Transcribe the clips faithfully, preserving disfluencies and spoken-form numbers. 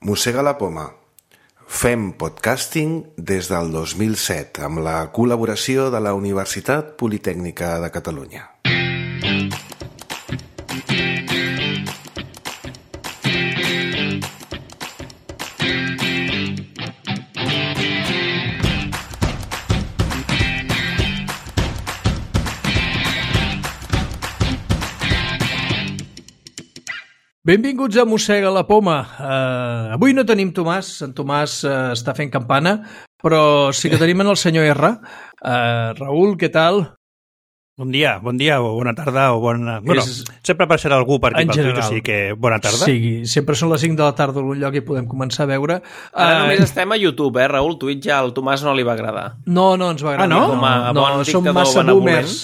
Mossega la poma. Fem podcasting des del dos mil set amb la col·laboració de la Universitat Politècnica de Catalunya. Benvinguts a Mossega la poma. Uh, avui no tenim Tomàs, en Tomàs uh, està fent campana, però sí que tenim en el senyor R. Uh, Raül, què tal? Bon dia, bon dia, o bona tarda, o bona... Bueno, És... sempre apareixerà algú per aquí en pel general. Twitter, o sigui que bona tarda. Sí, sempre són les cinc de la tarda a algun lloc i podem començar a veure. Ara uh, només estem a YouTube, eh, Raül? Twitch ja al Tomàs no li va agradar. No, no ens va agradar. Ah, no? Com a no, bon som dictador massa benvolent. boomers.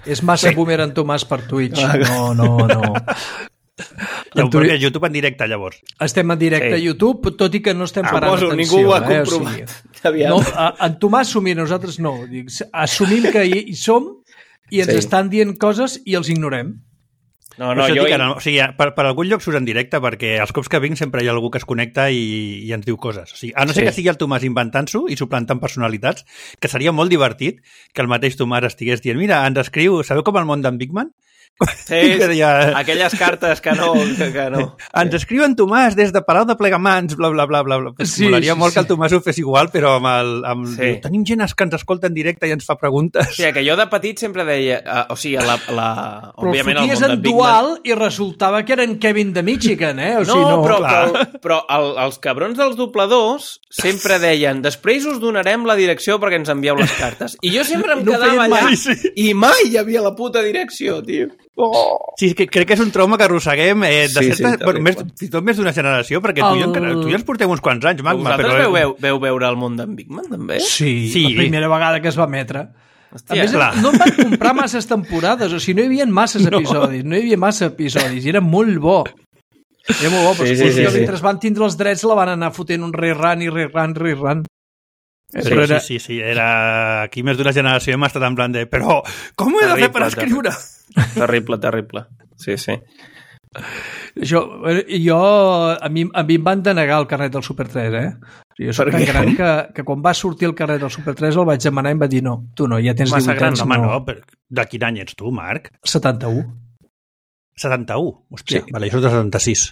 És massa boomer en Tomàs per Twitch. No, no, no. Ja ho perquè YouTube en directe, llavors. Estem en directe Sí. a YouTube, tot i que no estem Ah, parant poso, atenció. ningú ho ha eh? comprovat. O sigui, Aviam. no, a, en Tomàs assumir, nosaltres no. Dic, assumim que hi, hi som i ens Sí. estan dient coses i els ignorem. No, No, no, això jo... dic, ara, o sigui, per, per algun lloc surt en directe, perquè els cops que vinc sempre hi ha algú que es connecta i, i ens diu coses. O sigui, a no ser Sí. que sigui el Tomàs inventant-s'ho i suplantant personalitats, que seria molt divertit que el mateix Tomàs estigués dient, mira, ens escriu, sabeu com el món d'en Big Man? Sí, Que ja- aquelles cartes que no... Que, que no. Ens escriu en Tomàs des de Palau de Plegamans, bla, bla, bla, bla. bla. Sí, Molaria sí, molt sí. que el Tomàs ho fes igual, però amb el... Amb... Sí. Diu, tenim gent que ens escolta en directe i ens fa preguntes. O sigui, que jo de petit sempre deia... Uh, o sigui, la... la Però òbviament, el el foties món en de Big Man... dual i resultava que eren Kevin de Michigan, eh? O No, sigui, no, però, clar. però, però el, els cabrons dels dobladors sempre deien després us donarem la direcció perquè ens envieu les cartes. I jo sempre em No quedava feien allà mai. Sí, sí. i mai hi havia la puta direcció, tio. Oh. Sí, que crec que és un trauma que arrosseguem eh, de Sí, sí, certa, bueno, més, terrible. fins i tot més d'una generació, perquè tu, i jo, El- encara- tu i jo ens portem uns quants anys, Magma, Vosaltres però... veu, veu, veu veure el món d'en Big Man, també? Sí, Sí. la primera vegada que es va emetre. A Hòstia, més, clar. no em van comprar masses temporades, o sigui, no hi havia masses episodis, no hi havia massa episodis, i era molt bo. Era molt bo, però Sí, sí, sí, sí, sí, mentre sí. van tindre els drets la van anar fotent un rerun i rerun, rerun. Sí, Però era... sí, sí, sí, era... Aquí més d'una generació hem estat en plan de... Però, com ho he de fer per Terrible, escriure? Terrible, terrible. Sí, sí. Jo, jo a, mi, a mi em van denegar el carnet del Super tres, eh? Jo soc Per tan què? gran que, que quan va sortir el carnet del Super tres el vaig demanar i em va dir no, tu no, ja tens Massa divuit gran, anys. Home, no. no, però de quin any ets tu, Marc? setanta-u. setanta-u? Hòstia, Sí. vale, jo soc de setanta-sis.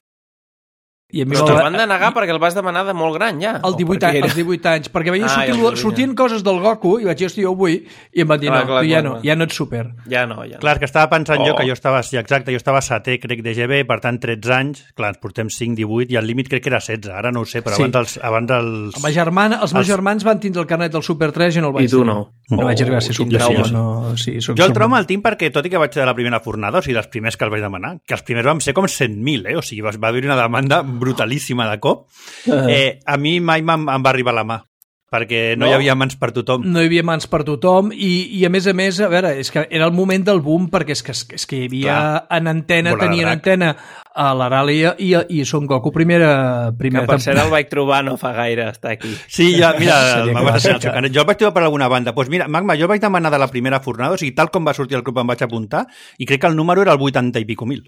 I a mi Però me'l te'l va- van denegar perquè el vas demanar de molt gran, ja. El O divuit, perquè anys, era- els divuit anys, perquè veia Ah, sortir, ja el divuit, sortint coses del Goku i vaig dir, hosti, jo ho vull, i em van dir, Clar, no, clar, tu ja clar, no, clar. ja no ets super. Ja no, ja no. Clar, és que estava pensant Oh. jo que jo estava... Sí, exacte, jo estava setè, crec, de G B, per tant, tretze anys. Clar, ens portem cinc, divuit, i el límit crec que era setze. Ara no ho sé, però Sí. abans els... Abans els... Ma germana, els meus Els- germans van tindre el carnet del Super tres i no el vaig I tu tenir. no. No Oh, vaig arribar a ser quin Super trauma. sis. No, sí, soc, Jo el soc- trauma el tinc perquè, tot i que vaig de la primera fornada, o sigui, dels primers que els vaig demanar, que els primers vam ser com cent mil, eh? O sigui, va va haver una demanda brutalíssima de cop. Eh, a mi mai em, em va arribar la mà, perquè no, No? hi havia mans per tothom. No hi havia mans per tothom i, i a més a més, a veure, és que era el moment del boom perquè és que, és que hi havia Clar. en antena, Bola de tenien drac. antena a l'Aràlia i, i Son Goku primera, Que primera per cert el vaig trobar no fa gaire, està aquí. Sí, ja, mira, Seria el que Magma va està ser- xocant. Jo el vaig trobar per alguna banda. Doncs pues mira, Magma, jo el vaig demanar de la primera fornada, o sigui, tal com va sortir el club em vaig apuntar, i crec que el número era el vuitanta i pico mil.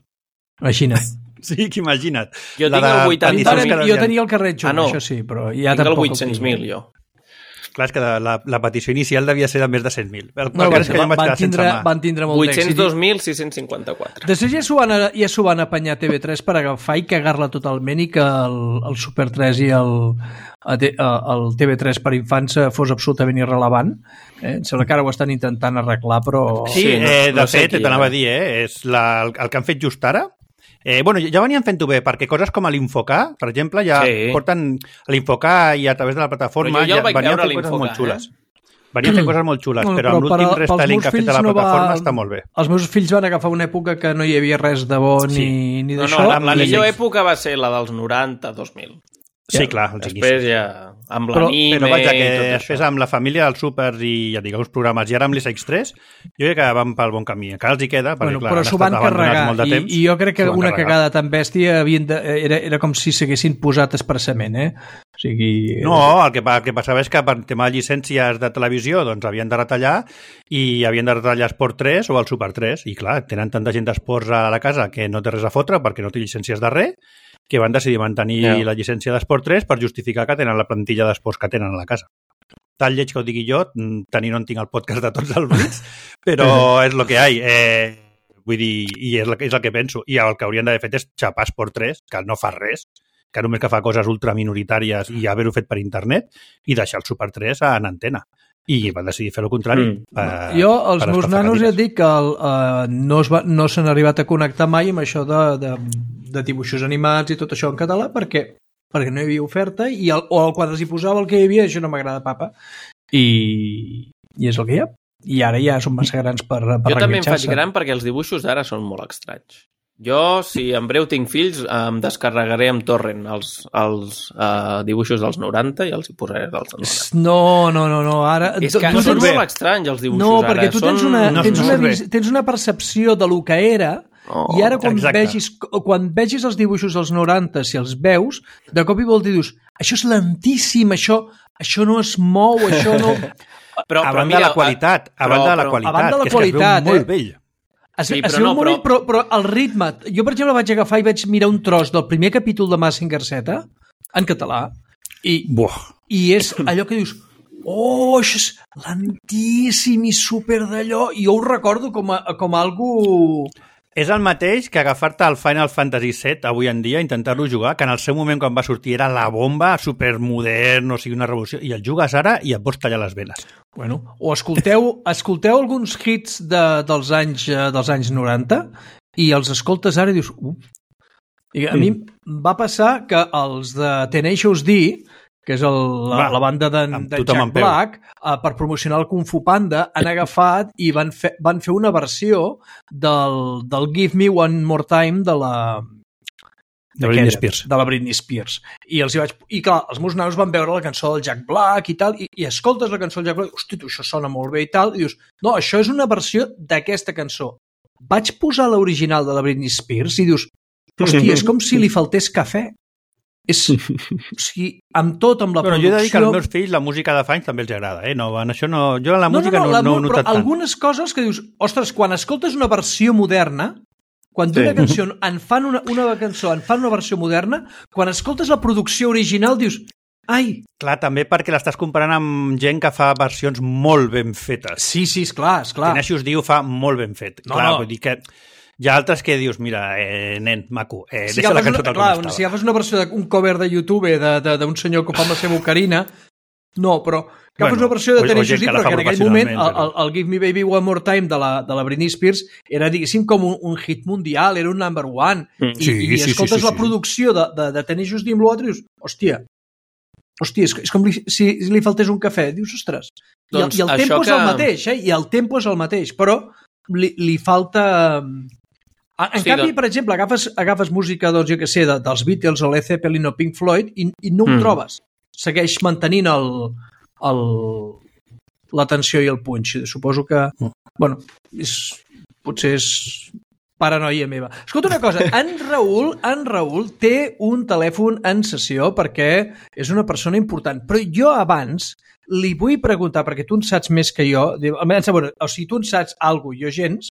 Imagina't. Sí, que imagina't. Jo La tinc el de vuitanta. peticions que jo devien- tenia el carret jove, Ah, no. això sí, però ja Tinc el tampoc vuit-cents mil, jo. Clar, és que de la, la petició inicial devia ser de més de cent mil. El No, no, van, és que jo em van, vaig van, quedar sense tindre, mà. van tindre molt vuit-cents d'èxit. dos mil sis-cents cinquanta-quatre. Després ja s'ho van, ja s'ho van apanyar a T V tres per agafar i cagar-la totalment i que el, el Super tres i el, el T V tres per infants fos absolutament irrelevant. Eh? Em sembla que ara ho estan intentant arreglar, però... Sí, Sí, no- eh, de no sé fet, qui, t'anava eh? a dir, eh, és la, el, el que han fet just ara. Eh, bueno, ja venien fent-ho bé, perquè coses com l'Infocar, per exemple, ja Sí. porten l'Infocar i a través de la plataforma Però jo ja el vaig venien veure, fent coses l'Infocar, molt xules. Venien fent coses molt xules, Bueno, però amb però per l'últim a- pels restyling meus que ha fet fills a la no va- plataforma està molt bé. Els meus fills van agafar una època que no hi havia res de bo ni, Sí. ni No, d'això. no, la, la I- millor època va ser la dels noranta, dos mil. Sí, clar, els Després ja, amb Però- l'anime Però vaja, que i tot després això. amb la família dels súpers i ja dic, els programes i ara amb l'I S X tres, jo crec que van pel bon camí. Encara els hi queda, perquè Bueno, clar, però han s'ho estat van abandonats carregar molt de i, temps. i jo crec que S'ho van una carregar. cagada tan bèstia havien de, era, era com si s'haguessin posat expressament, eh? O sigui... No, el que, pa- el que passava és que per tema de llicències de televisió doncs havien de retallar i havien de retallar Esport tres o el Super tres i clar, tenen tanta gent d'esports a la casa que no té res a fotre perquè no té llicències de res que van decidir mantenir Yeah. la llicència d'Esport tres per justificar que tenen la plantilla d'esports que tenen a la casa. Tal lleig que ho digui jo, tenir no en tinc el podcast de tots els Blitz, però és el que hi ha. Eh, vull dir, i és el, és el que penso. I el que haurien d'haver fet és xapar Esport tres, que no fa res, que només que fa coses ultraminoritàries i haver-ho fet per internet, i deixar el Super tres en antena. I van decidir fer el contrari. Mm. Per, jo, els per meus nanos, ja et dic que el, uh, no, es va, no s'han arribat a connectar mai amb això de, de, de dibuixos animats i tot això en català, perquè perquè no hi havia oferta, i el, o quan els hi posava el que hi havia, això no m'agrada papa. I, I és el que hi ha. I ara ja són massa grans per, per jo també em faig reenganxar-se. gran perquè els dibuixos d'ara són molt estranys. Jo, si en breu tinc fills, em descarregaré amb torrent els, els uh, dibuixos dels noranta i els hi posaré dels noranta. No, no, no, no. Ara, És que tu són tens... molt estranys els dibuixos no, ara. perquè tu tens són... una, no, tens, no una, surt bé. vis- tens una percepció de lo que era, Oh, i ara quan exacte. vegis, quan vegis els dibuixos dels noranta, si els veus, de cop i volta dius, això és lentíssim, això, això no es mou, això no... Però, a però banda mira, de la qualitat, a però- banda de la però- qualitat, a banda de la que és que es qualitat, veu molt eh? vell. Es, Sí, sí, però però, no, no, però... però- Però, però el ritme... Jo, per exemple, vaig agafar i vaig mirar un tros del primer capítol de Mazinger Z, en català, i, Buah. i és allò que dius, oh, això és lentíssim i super d'allò, i jo ho recordo com a, com a algo... És el mateix que agafar-te el Final Fantasy set avui en dia, intentar-lo jugar, que en el seu moment quan va sortir era la bomba, supermodern, o sigui, una revolució, i el jugues ara i et pots tallar les venes. Bueno, o escolteu, escolteu alguns hits de, dels, anys, eh, dels anys noranta i els escoltes ara i dius... Uh. I a mi em va passar que els de Tenacious D, que és el, la, Va, la banda de, amb de tothom Jack en peu. Black, eh, per promocionar el Kung Fu Panda, han agafat i van fer, van fer una versió del, del Give Me One More Time de la... De Britney d'aquella, Spears. De la Britney Spears. I, els hi vaig... I clar, els meus nanos van veure la cançó del Jack Black i tal, i, i escoltes la cançó del Jack Black, hosti, tu, això sona molt bé i tal, i dius, no, això és una versió d'aquesta cançó. Vaig posar l'original de la Britney Spears i dius, hosti, és com si li faltés cafè. És, o sigui, amb tot, amb la Però producció... jo he de dir que als meus fills la música de fa anys també els agrada, eh? No, en això no... Jo en la música no, no, la, no, no he però notat tant. algunes coses que dius, ostres, quan escoltes una versió moderna, quan d'una Sí. cançó en fan una, una cançó en fan una versió moderna, quan escoltes la producció original dius, ai, Clar, també perquè l'estàs comparant amb gent que fa versions molt ben fetes. sí, sí, esclar, esclar. Tenacious D ho fa molt ben fet. No, Clar, no. vull dir que hi ha altres que dius, mira, eh, nen, maco, eh, Si deixa la agafes cançó una, tal clar, com estava. si agafes una versió d'un cover de YouTube de- de- d'un senyor que fa amb la seva ocarina, no, però agafes Bueno, una versió de o- o Tenacious gent D, que la però fa que en aquell moment el, professionalment, el, el Give Me Baby One More Time de la, de la Britney Spears era, diguéssim, com un, un hit mundial, era un number one, Mm. i, Sí, i sí, sí, escoltes sí, la sí. producció de, de, de Tenacious D amb l'altre i dius, hòstia, hòstia, és, és com li, si, si li faltés un cafè, dius, ostres, i el, Doncs i el això tempo és que- el mateix, eh? I el tempo és el mateix, però li, li falta... En Sí, canvi, doncs- per exemple, agafes, agafes música, doncs, jo què sé, de, dels Beatles o Led Zeppelin o Pink Floyd i, i no ho Mm. trobes. Segueix mantenint el, el, la tensió i el punx. Suposo que, bueno, és, potser és paranoia meva. Escolta una cosa, en Raül, en Raül té un telèfon en sessió perquè és una persona important, però jo abans li vull preguntar, perquè tu en saps més que jo, almenys, bueno, o sigui, tu en saps alguna cosa, jo gens,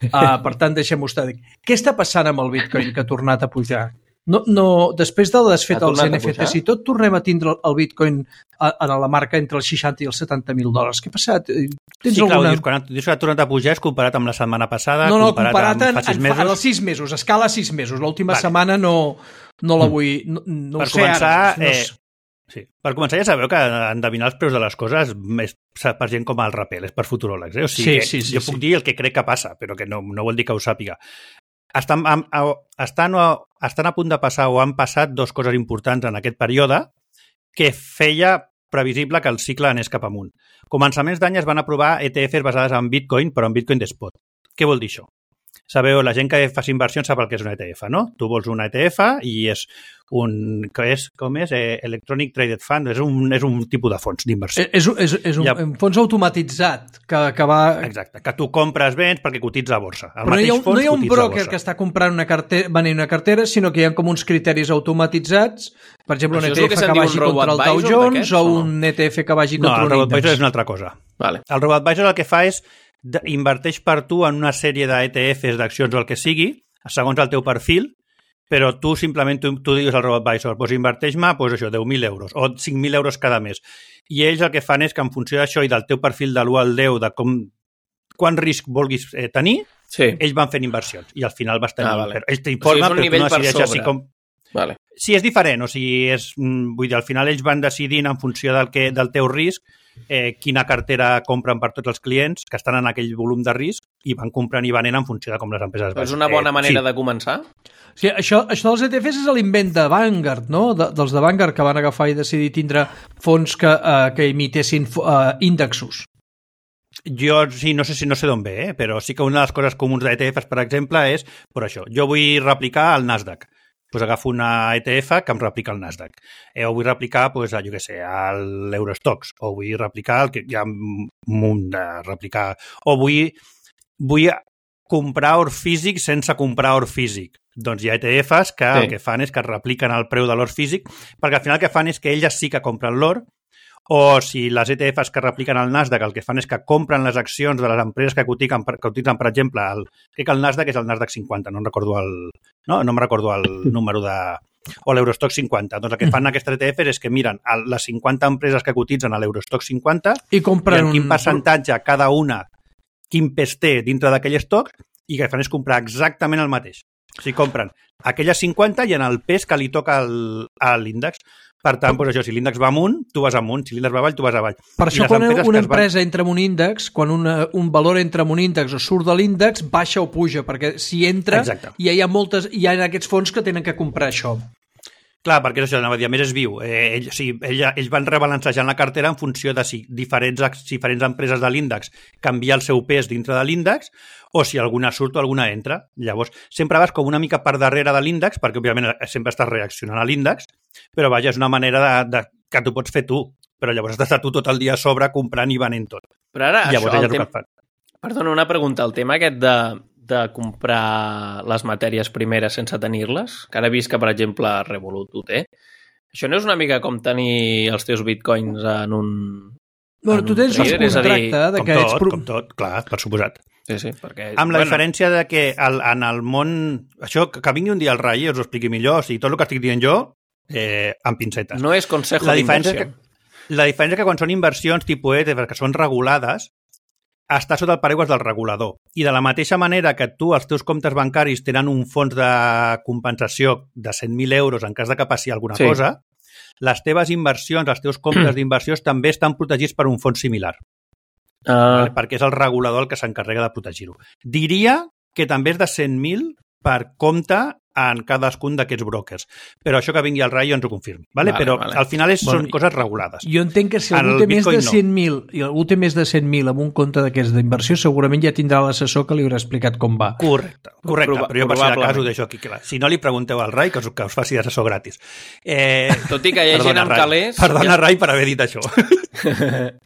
uh, per tant, deixem-ho estar. Què està passant amb el Bitcoin que ha tornat a pujar? No, no, després del desfet Ha dels tornat a N F Ts pujar? i tot, tornem a tindre el Bitcoin a, a la marca entre els seixanta i els setanta mil dòlars. Què ha passat? Tens Sí, clar, alguna... dius, quan dius que ha tornat a pujar és comparat amb la setmana passada, No, no, comparat, comparat amb en, fa sis en, mesos. en els sis mesos, a escala sis mesos. L'última Vale. setmana no, no la vull... No, no Per ho sé començar, ara. No, eh, sé. Sí. Per començar, ja sabeu que endevinar els preus de les coses és per gent com el Rapel, és per futuròlegs. Eh? O sigui, Sí, que sí, sí, jo sí. puc dir el que crec que passa, però que no, no vol dir que ho sàpiga. Estan, a, a, estan, a, estan a punt de passar o han passat dues coses importants en aquest període que feia previsible que el cicle anés cap amunt. Començaments d'any es van aprovar E T Fs basades en Bitcoin, però en Bitcoin d'Spot. Què vol dir això? Sabeu, la gent que fa inversions sap el que és una E T F, no? Tu vols una E T F i és un... Que és, com és? Eh, Electronic Traded Fund. És un, és un tipus de fons d'inversió. És, és, és un, Ja. un fons automatitzat que, que va... Exacte, que tu compres béns perquè cotitza a borsa. El Però no hi, ha, mateix fons no hi ha un cotitza a broker borsa. que està comprant una cartera, venent una cartera, sinó que hi ha com uns criteris automatitzats, per exemple, un Això és el E T F que que, se'n diu vagi un contra el Dow robo-advisor Jones d'aquests, o o no? un E T F que vagi No, contra el un RoboAdvisor índex. és una altra cosa. Vale. El RoboAdvisor el que fa és de- inverteix per tu en una sèrie d'E T Fs, d'accions o el que sigui, segons el teu perfil, però tu simplement tu, tu digues al RoboAdvisor, doncs inverteix-me doncs això, deu mil euros o cinc mil euros cada mes. I ells el que fan és que en funció d'això i del teu perfil de l'u al deu, de com, quant risc vulguis eh, tenir, sí. ells van fent inversions i al final vas tenir... Ah, vale. Però ells t'informen, o sigui, però tu no decideixes si com... Vale. Sí, és diferent, o sigui, és, vull dir, al final ells van decidint en funció del, que, del teu risc eh, quina cartera compren per tots els clients que estan en aquell volum de risc i van comprant i venent en funció de com les empreses van. És una bona manera eh, sí. de començar? Sí, això, això dels E T Fs és l'invent de Vanguard, no? De, dels de Vanguard que van agafar i decidir tindre fons que, uh, que imitessin uh, índexos. Jo sí, no sé si no sé d'on ve, eh? Però sí que una de les coses comuns d'E T Fs, per exemple, és per això. Jo vull replicar el Nasdaq. Pues agafo una E T F que em replica el Nasdaq. Eh, o vull replicar, pues, a, jo què sé, l'Eurostox. O vull replicar el que hi ha un munt de replicar. O vull, vull comprar or físic sense comprar or físic. Doncs hi ha E T Fs que sí. el que fan és que repliquen el preu de l'or físic, perquè al final el que fan és que elles sí que compren l'or, o si les E T Fs que repliquen el Nasdaq el que fan és que compren les accions de les empreses que cotitzen, que cotitzen per exemple, el, crec que el Nasdaq és el Nasdaq cinquanta, no em recordo el, no, no em recordo el número de... o l'Eurostock cinquanta. Doncs el que fan aquestes E T Fs és que miren les cinquanta empreses que cotitzen a l'Eurostock cinquanta i, compren i en quin un... percentatge cada una, quin pes té dintre d'aquell estoc, i el que fan és comprar exactament el mateix. O sigui, compren aquelles cinquanta i en el pes que li toca el, a l'índex. Per tant, doncs això, si l'índex va amunt, tu vas amunt. Si l'índex va avall, tu vas avall. Per això, quan una empresa van... entra en un índex, quan una, un valor entra en un índex o surt de l'índex, baixa o puja, perquè si entra, Exacte. ja hi ha moltes, hi ha aquests fons que tenen que comprar això. Clar, perquè és això, anava a dir, a més és viu. Eh, ell, o sigui, ell, ells van rebalancejant la cartera en funció de si diferents, diferents empreses de l'índex canvia el seu pes dintre de l'índex o si alguna surt o alguna entra. Llavors, sempre vas com una mica per darrere de l'índex, perquè òbviament sempre estàs reaccionant a l'índex, però vaja, és una manera de, de, que tu pots fer tu, però llavors has d'estar tu tot el dia a sobre comprant i venent tot. Però ara, llavors, això, el tema... Perdona, una pregunta. El tema aquest de, de comprar les matèries primeres sense tenir-les, que ara he vist que, per exemple, Revolut ho té, això no és una mica com tenir els teus bitcoins en un... Bueno, tu tens un contracte de que ets... Com tot, clar, per suposat. Sí, sí, perquè... Amb la bueno. diferència de que el, en el món... Això, que vingui un dia el Rai i us ho expliqui millor, o sigui, tot el que estic dient jo, eh, amb pincetes. No és consejo d'inversió. La diferència és que quan són inversions tipus E T F, que són regulades, està sota el paraigües del regulador. I de la mateixa manera que tu, els teus comptes bancaris, tenen un fons de compensació de cent mil euros en cas de que passi alguna sí. cosa, les teves inversions, els teus comptes d'inversions també estan protegits per un fons similar. Uh... Vale? Perquè és el regulador el que s'encarrega de protegir-ho. Diria que també és de cent mil per compte en cadascun d'aquests brokers. Però això que vingui al Rai ens ho confirmi. Vale? Vale, però vale. al final és, bueno, són coses regulades. Jo entenc que si algú té més de cent mil no. i algú té més de cent mil amb un compte d'aquests d'inversió, segurament ja tindrà l'assessor que li haurà explicat com va. Correcte, correcte. Proba, però jo per si de cas ho deixo aquí clar. Si no li pregunteu al Rai, que us, que us faci assessor gratis. Eh... Tot i que hi ha gent amb calés... Perdona, ja... Rai, per haver dit això.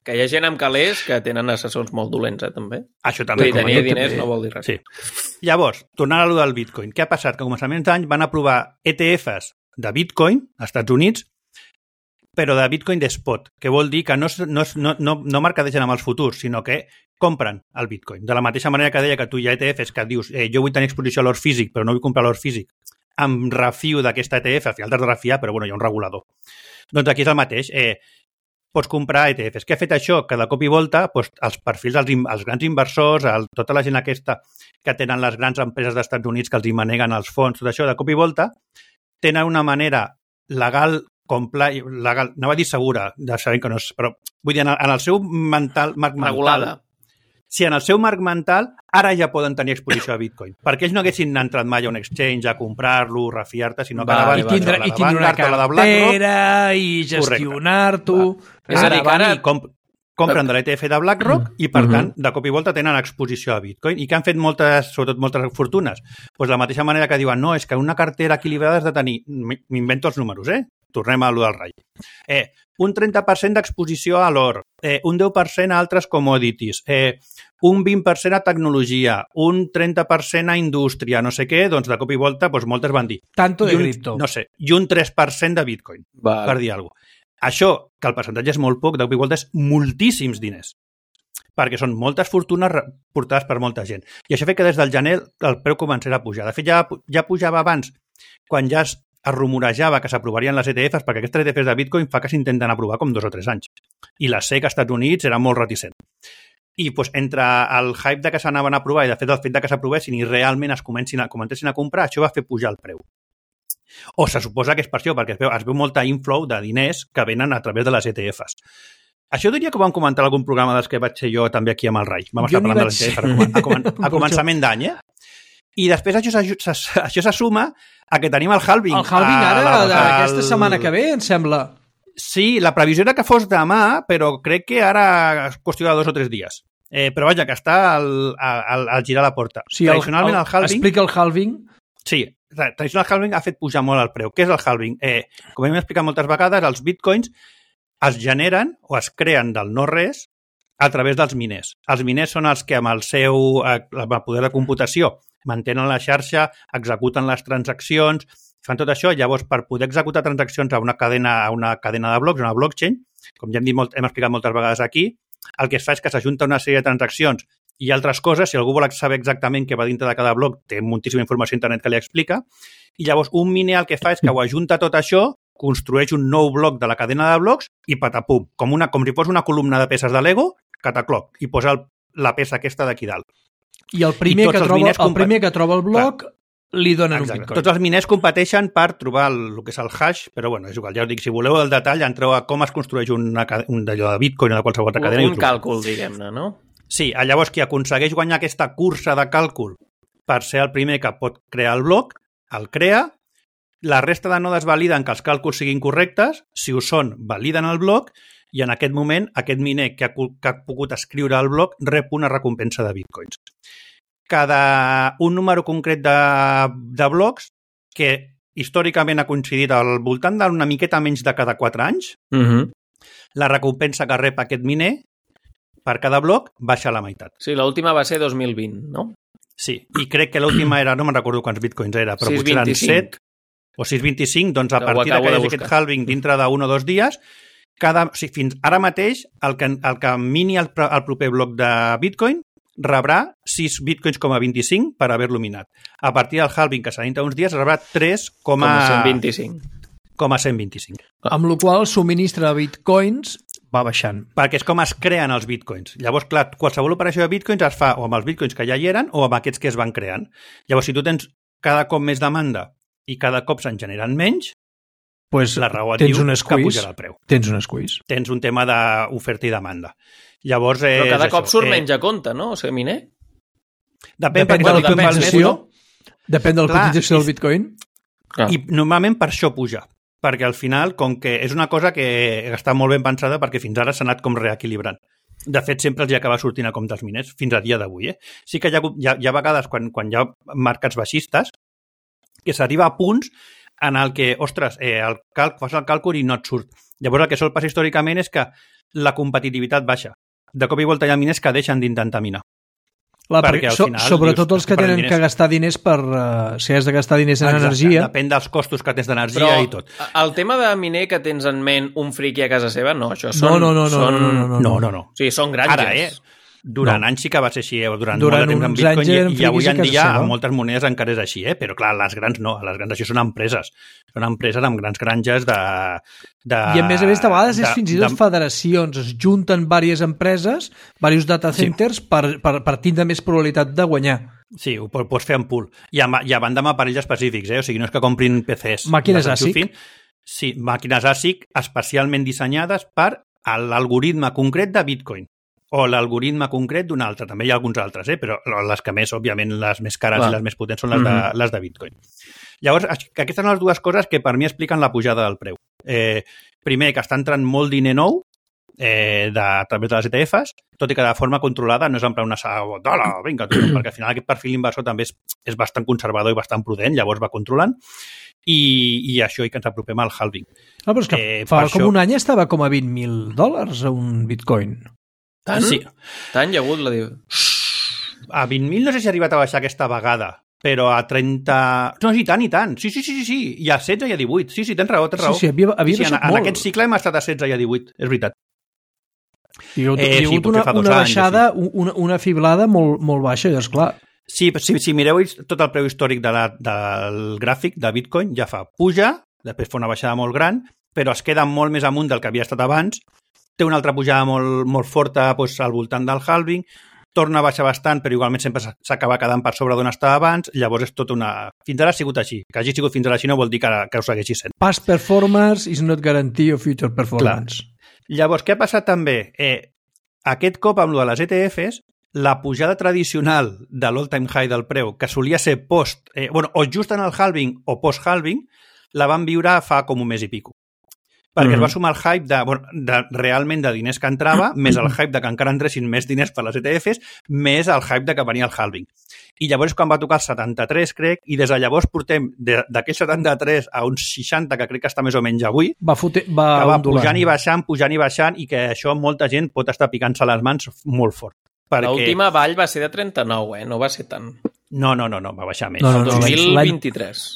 Que hi ha gent amb calés que tenen assessors molt dolents, eh, també. Això també. I tenir diners no vol dir res. Sí. Llavors, tornant a allò del Bitcoin, què ha passat? Que a començaments d'any van aprovar E T Fs de Bitcoin als Estats Units, però de Bitcoin de spot, que vol dir que no, no, no, no, no mercadegen amb els futurs, sinó que compren el Bitcoin. De la mateixa manera que deia que tu hi ha E T Fs que dius eh, jo vull tenir exposició a l'or físic, però no vull comprar l'or físic, em refio d'aquesta E T F, al final t'has de refiar, però bueno, hi ha un regulador. Doncs aquí és el mateix. Eh, pots comprar E T Fs. Què ha fet això? Que de cop i volta doncs, els perfils, els, els grans inversors, el, tota la gent aquesta que tenen les grans empreses dels Estats Units que els hi maneguen els fons, tot això, de cop i volta, tenen una manera legal, compli, legal, no va dir segura, de saber que no és, però vull dir, en el, en el seu mental, marc mental, regulada. Si en el seu marc mental ara ja poden tenir exposició a Bitcoin. Perquè ells no haguessin entrat mai a un exchange a comprar-lo, refiar-te, sinó que va, ara van a la Vanguard, una cartera i gestionar-t'ho. És a dir, que ara comp compren de l'E T F de BlackRock i, per tant, de cop i volta tenen exposició a Bitcoin. I que han fet moltes, sobretot moltes fortunes? Doncs de la mateixa manera que diuen, no, és que una cartera equilibrada has de tenir, m'invento els números, eh? Tornem a allò del Rai. Eh, un trenta per cent d'exposició a l'or, eh, un deu per cent a altres commodities, eh, un vint per cent a tecnologia, un trenta per cent a indústria, no sé què, doncs de cop i volta doncs moltes van dir. Tanto de un, cripto. No sé, i un tres per cent de Bitcoin, vale. Per dir alguna cosa. Això, que el percentatge és molt poc, de cop i volta és moltíssims diners, perquè són moltes fortunes portades per molta gent. I això fa que des del gener el preu començarà a pujar. De fet, ja, ja pujava abans quan ja es, es rumorejava que s'aprovarien les E T Fs, perquè aquestes E T Fs de Bitcoin fa que s'intenten aprovar com dos o tres anys. I la S E C als Estats Units era molt reticent. I doncs, entre el hype de que s'anaven a aprovar i de fet el fet de que s'aprovessin i realment es comencin a, comencessin a comprar, això va fer pujar el preu. O se suposa que és per això, perquè es veu, es veu molta inflow de diners que venen a través de les E T Fs. Això diria que ho vam comentar en algun programa dels que vaig ser jo també aquí amb el Rai. Vam estar parlant de les E T Fs a, a, a, a començament d'any, eh? I després això, això se suma a que tenim el halving. El halving ara, la, la, aquesta el... setmana que ve, em sembla. Sí, la previsió era que fos demà, però crec que ara és qüestió de dos o tres dies. Eh, però vaja, que està al, al, al girar la porta. Sí, Tradicionalment el, el, el halving... Explica el halving. Sí, tradicional halving ha fet pujar molt el preu. Què és el halving? Eh, com hem explicat moltes vegades, els bitcoins es generen o es creen del no-res a través dels miners. Els miners són els que amb el seu eh, el poder de computació mantenen la xarxa, executen les transaccions, fan tot això. Llavors, per poder executar transaccions a una cadena, a una cadena de blocs, una blockchain, com ja hem, dit molt, hem explicat moltes vegades aquí, el que es fa és que s'ajunta una sèrie de transaccions i altres coses. Si algú vol saber exactament què va dintre de cada bloc, té moltíssima informació a internet que li explica. I llavors un miner el que fa és que ho ajunta tot això, construeix un nou bloc de la cadena de blocs i patapum, com, una, com si fos una columna de peces de Lego, catacloc, i posa el, la peça aquesta d'aquí dalt. I el primer, I que, troba, el primer que troba el bloc clar, li donen exacte. Un bitcoin. Tots els miners competeixen per trobar el, el que és el hash, però bueno, és igual. Ja us dic, si voleu el detall, entreu a com es construeix una, un d'allò de bitcoin o de qualsevol altra cadena. Un càlcul, diguem-ne, no? Sí, llavors qui aconsegueix guanyar aquesta cursa de càlcul per ser el primer que pot crear el bloc, el crea, la resta de nodes validen que els càlculs siguin correctes, si ho són, validen el bloc, i en aquest moment aquest miner que ha, que ha pogut escriure el bloc rep una recompensa de bitcoins. Cada un número concret de, de blocs que històricament ha coincidit al voltant d'una miqueta menys de cada quatre anys, uh-huh. la recompensa que rep aquest miner per cada bloc baixa a la meitat. Sí, l'última va ser dos mil vint, no? Sí, i crec que l'última era, no me'n recordo quants bitcoins era, però potser eren set o sis coma vint-i-cinc, doncs a partir de que hi hagi aquest halving dintre d'un o dos dies, cada, o sigui, fins ara mateix el que, el que mini el, el proper bloc de bitcoin rebrà sis bitcoins com a vint-i-cinc per haver-lo minat. A partir del halving, que serà dintre uns dies, rebrà tres com a cent vint-i-cinc. Com a cent vint-i-cinc. Amb la qual el subministre de bitcoins va baixant. Perquè és com es creen els bitcoins. Llavors, clar, qualsevol operació de bitcoins es fa o amb els bitcoins que ja hi eren o amb aquests que es van creant. Llavors, si tu tens cada cop més demanda i cada cop se'n generen menys, pues la raó et diu que pujarà el preu. Tens un squeeze. Tens un tema d'oferta i demanda. Llavors, però cada és cop això, surt eh... menys a compte, no? O sigui, miner? Depèn, depèn de la cotització. Depèn de la cotització del bitcoin. Clar. I normalment per això puja. Perquè al final, com que és una cosa que està molt ben pensada perquè fins ara s'ha anat com reequilibrant. De fet, sempre els hi acaba sortint a compte els miners, fins a dia d'avui. Eh? Sí que hi ha, hi ha, hi ha vegades, quan, quan hi ha mercats baixistes, que s'arriba a punts en el que, ostres, eh, el cal, fas el càlcul i no et surt. Llavors, el que sol passar històricament és que la competitivitat baixa. De cop i volta hi ha miners que deixen d'intentar minar. La, perquè so, final, sobretot dius, els que tenen diners. Que gastar diners per... Uh, si has de gastar diners en Exacte. Energia... Depèn dels costos que tens d'energia Però i tot. El tema de miner que tens en ment un friqui a casa seva, no, això són... No, no, no. no, són... no, no, no, no, no, no. O sigui, són granges. Ara, eh? Durant no. anys sí que va ser així, eh? Durant, Durant molt de temps en Bitcoin i, i avui en dia amb moltes monedes encara és així, eh? Però clar, les grans no, les grans això són empreses. Són empreses amb grans granges de... de I a més a més, de vegades de, és fins i tot de... federacions, es junten diverses empreses, diversos data centers, sí. per, per, per tindre més probabilitat de guanyar. Sí, ho pots fer en pool. I a, i a banda amb aparells específics, eh? O sigui, no és que comprin P Cs. Màquines ASIC. Sí, màquines ASIC especialment dissenyades per l'algoritme concret de Bitcoin. O l'algoritme concret d'un altre. També hi ha alguns altres, eh? Però les que més, òbviament, les més cares Clar. I les més potents són les, mm-hmm. de, les de Bitcoin. Llavors, aquestes són les dues coses que per mi expliquen la pujada del preu. Eh, primer, que està entrant molt diner nou eh, de, a través de les E T Fs, tot i que de forma controlada, no és en plan una sala, dala, vinga, tu, perquè al final aquest perfil inversor també és, és bastant conservador i bastant prudent, llavors va controlant, i, i això i que ens apropem al halving. Ah, però és que eh, fa com això... un any estava com a vint mil dòlars a un bitcoin. Tant? Sí. Tant hi ha hagut la diu. A vint mil no sé si ha arribat a baixar aquesta vegada, però a trenta... No, sí, tant i tant. Sí, sí, sí, sí, sí. I a setze i a divuit. Sí, sí, tens raó, tens raó. Sí, sí, havia, havia sí, baixat en, molt. En aquest cicle hem estat a setze i a divuit, és veritat. Hi ha hagut, eh, hi ha hagut sí, una, una baixada, anys, sí. una, una fiblada molt, molt baixa, és clar. Sí, si, si mireu tot el preu històric de la, del gràfic de Bitcoin, ja fa puja, després fa una baixada molt gran, però es queda molt més amunt del que havia estat abans, té una altra pujada molt, molt forta doncs, al voltant del halving, torna a baixar bastant, però igualment sempre s'acaba quedant per sobre d'on estava abans, llavors és tot una... Fins ara ha sigut així. Que hagi sigut fins ara així no vol dir que, que ho segueixi sent. Past performance is not guarantee of future performance. Clar. Llavors, què ha passat també? Eh, aquest cop amb lo de les E T Fs, la pujada tradicional de l'all-time high del preu, que solia ser post... Eh, bueno, o just en el halving o post-halving, la van viure fa com un mes i pico. Perquè mm-hmm. es va sumar el hype de, bueno, de, realment de diners que entrava, més el hype de que encara entressin més diners per les E T Fs, més el hype de que venia el halving. I llavors quan va tocar el setanta-tres, crec, i des de llavors portem d'aquell setanta-tres a uns seixanta, que crec que està més o menys avui, va, fote, va, que va pujant i baixant, pujant i baixant, i que això molta gent pot estar picant-se les mans molt fort. Perquè... L'última vall va ser de trenta-nou, eh? No va ser tant. No, no, no, no va baixar més. No, no, no, dos mil vint-i-tres.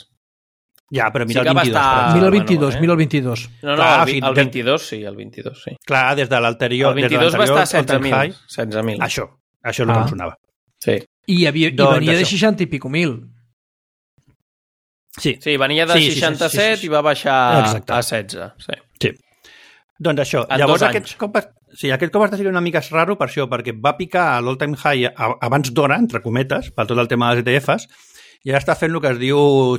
Ja, però mira sí el vint-i-dos. Estar... Mira el vint-i-dos, mira el vint-dos. No, no, clar, el, el vint-i-dos sí, el vint-i-dos sí. Clar, des de l'anterior... El vint-i-dos va estar a setze mil. setze mil. Això, això és el ah. que em sonava. Sí. I, havia, i doncs venia això. de seixanta i pico mil. Sí. Sí, venia de sí, seixanta-set sí, sí, sí, sí. I va baixar Exacte. A setze. Sí. sí. Doncs això. En llavors aquest cop, sí, aquest cop està sent una mica raro per això, perquè va picar a l'all-time high abans d'hora, entre cometes, per tot el tema de les E T Fs, i ara està fent el que es diu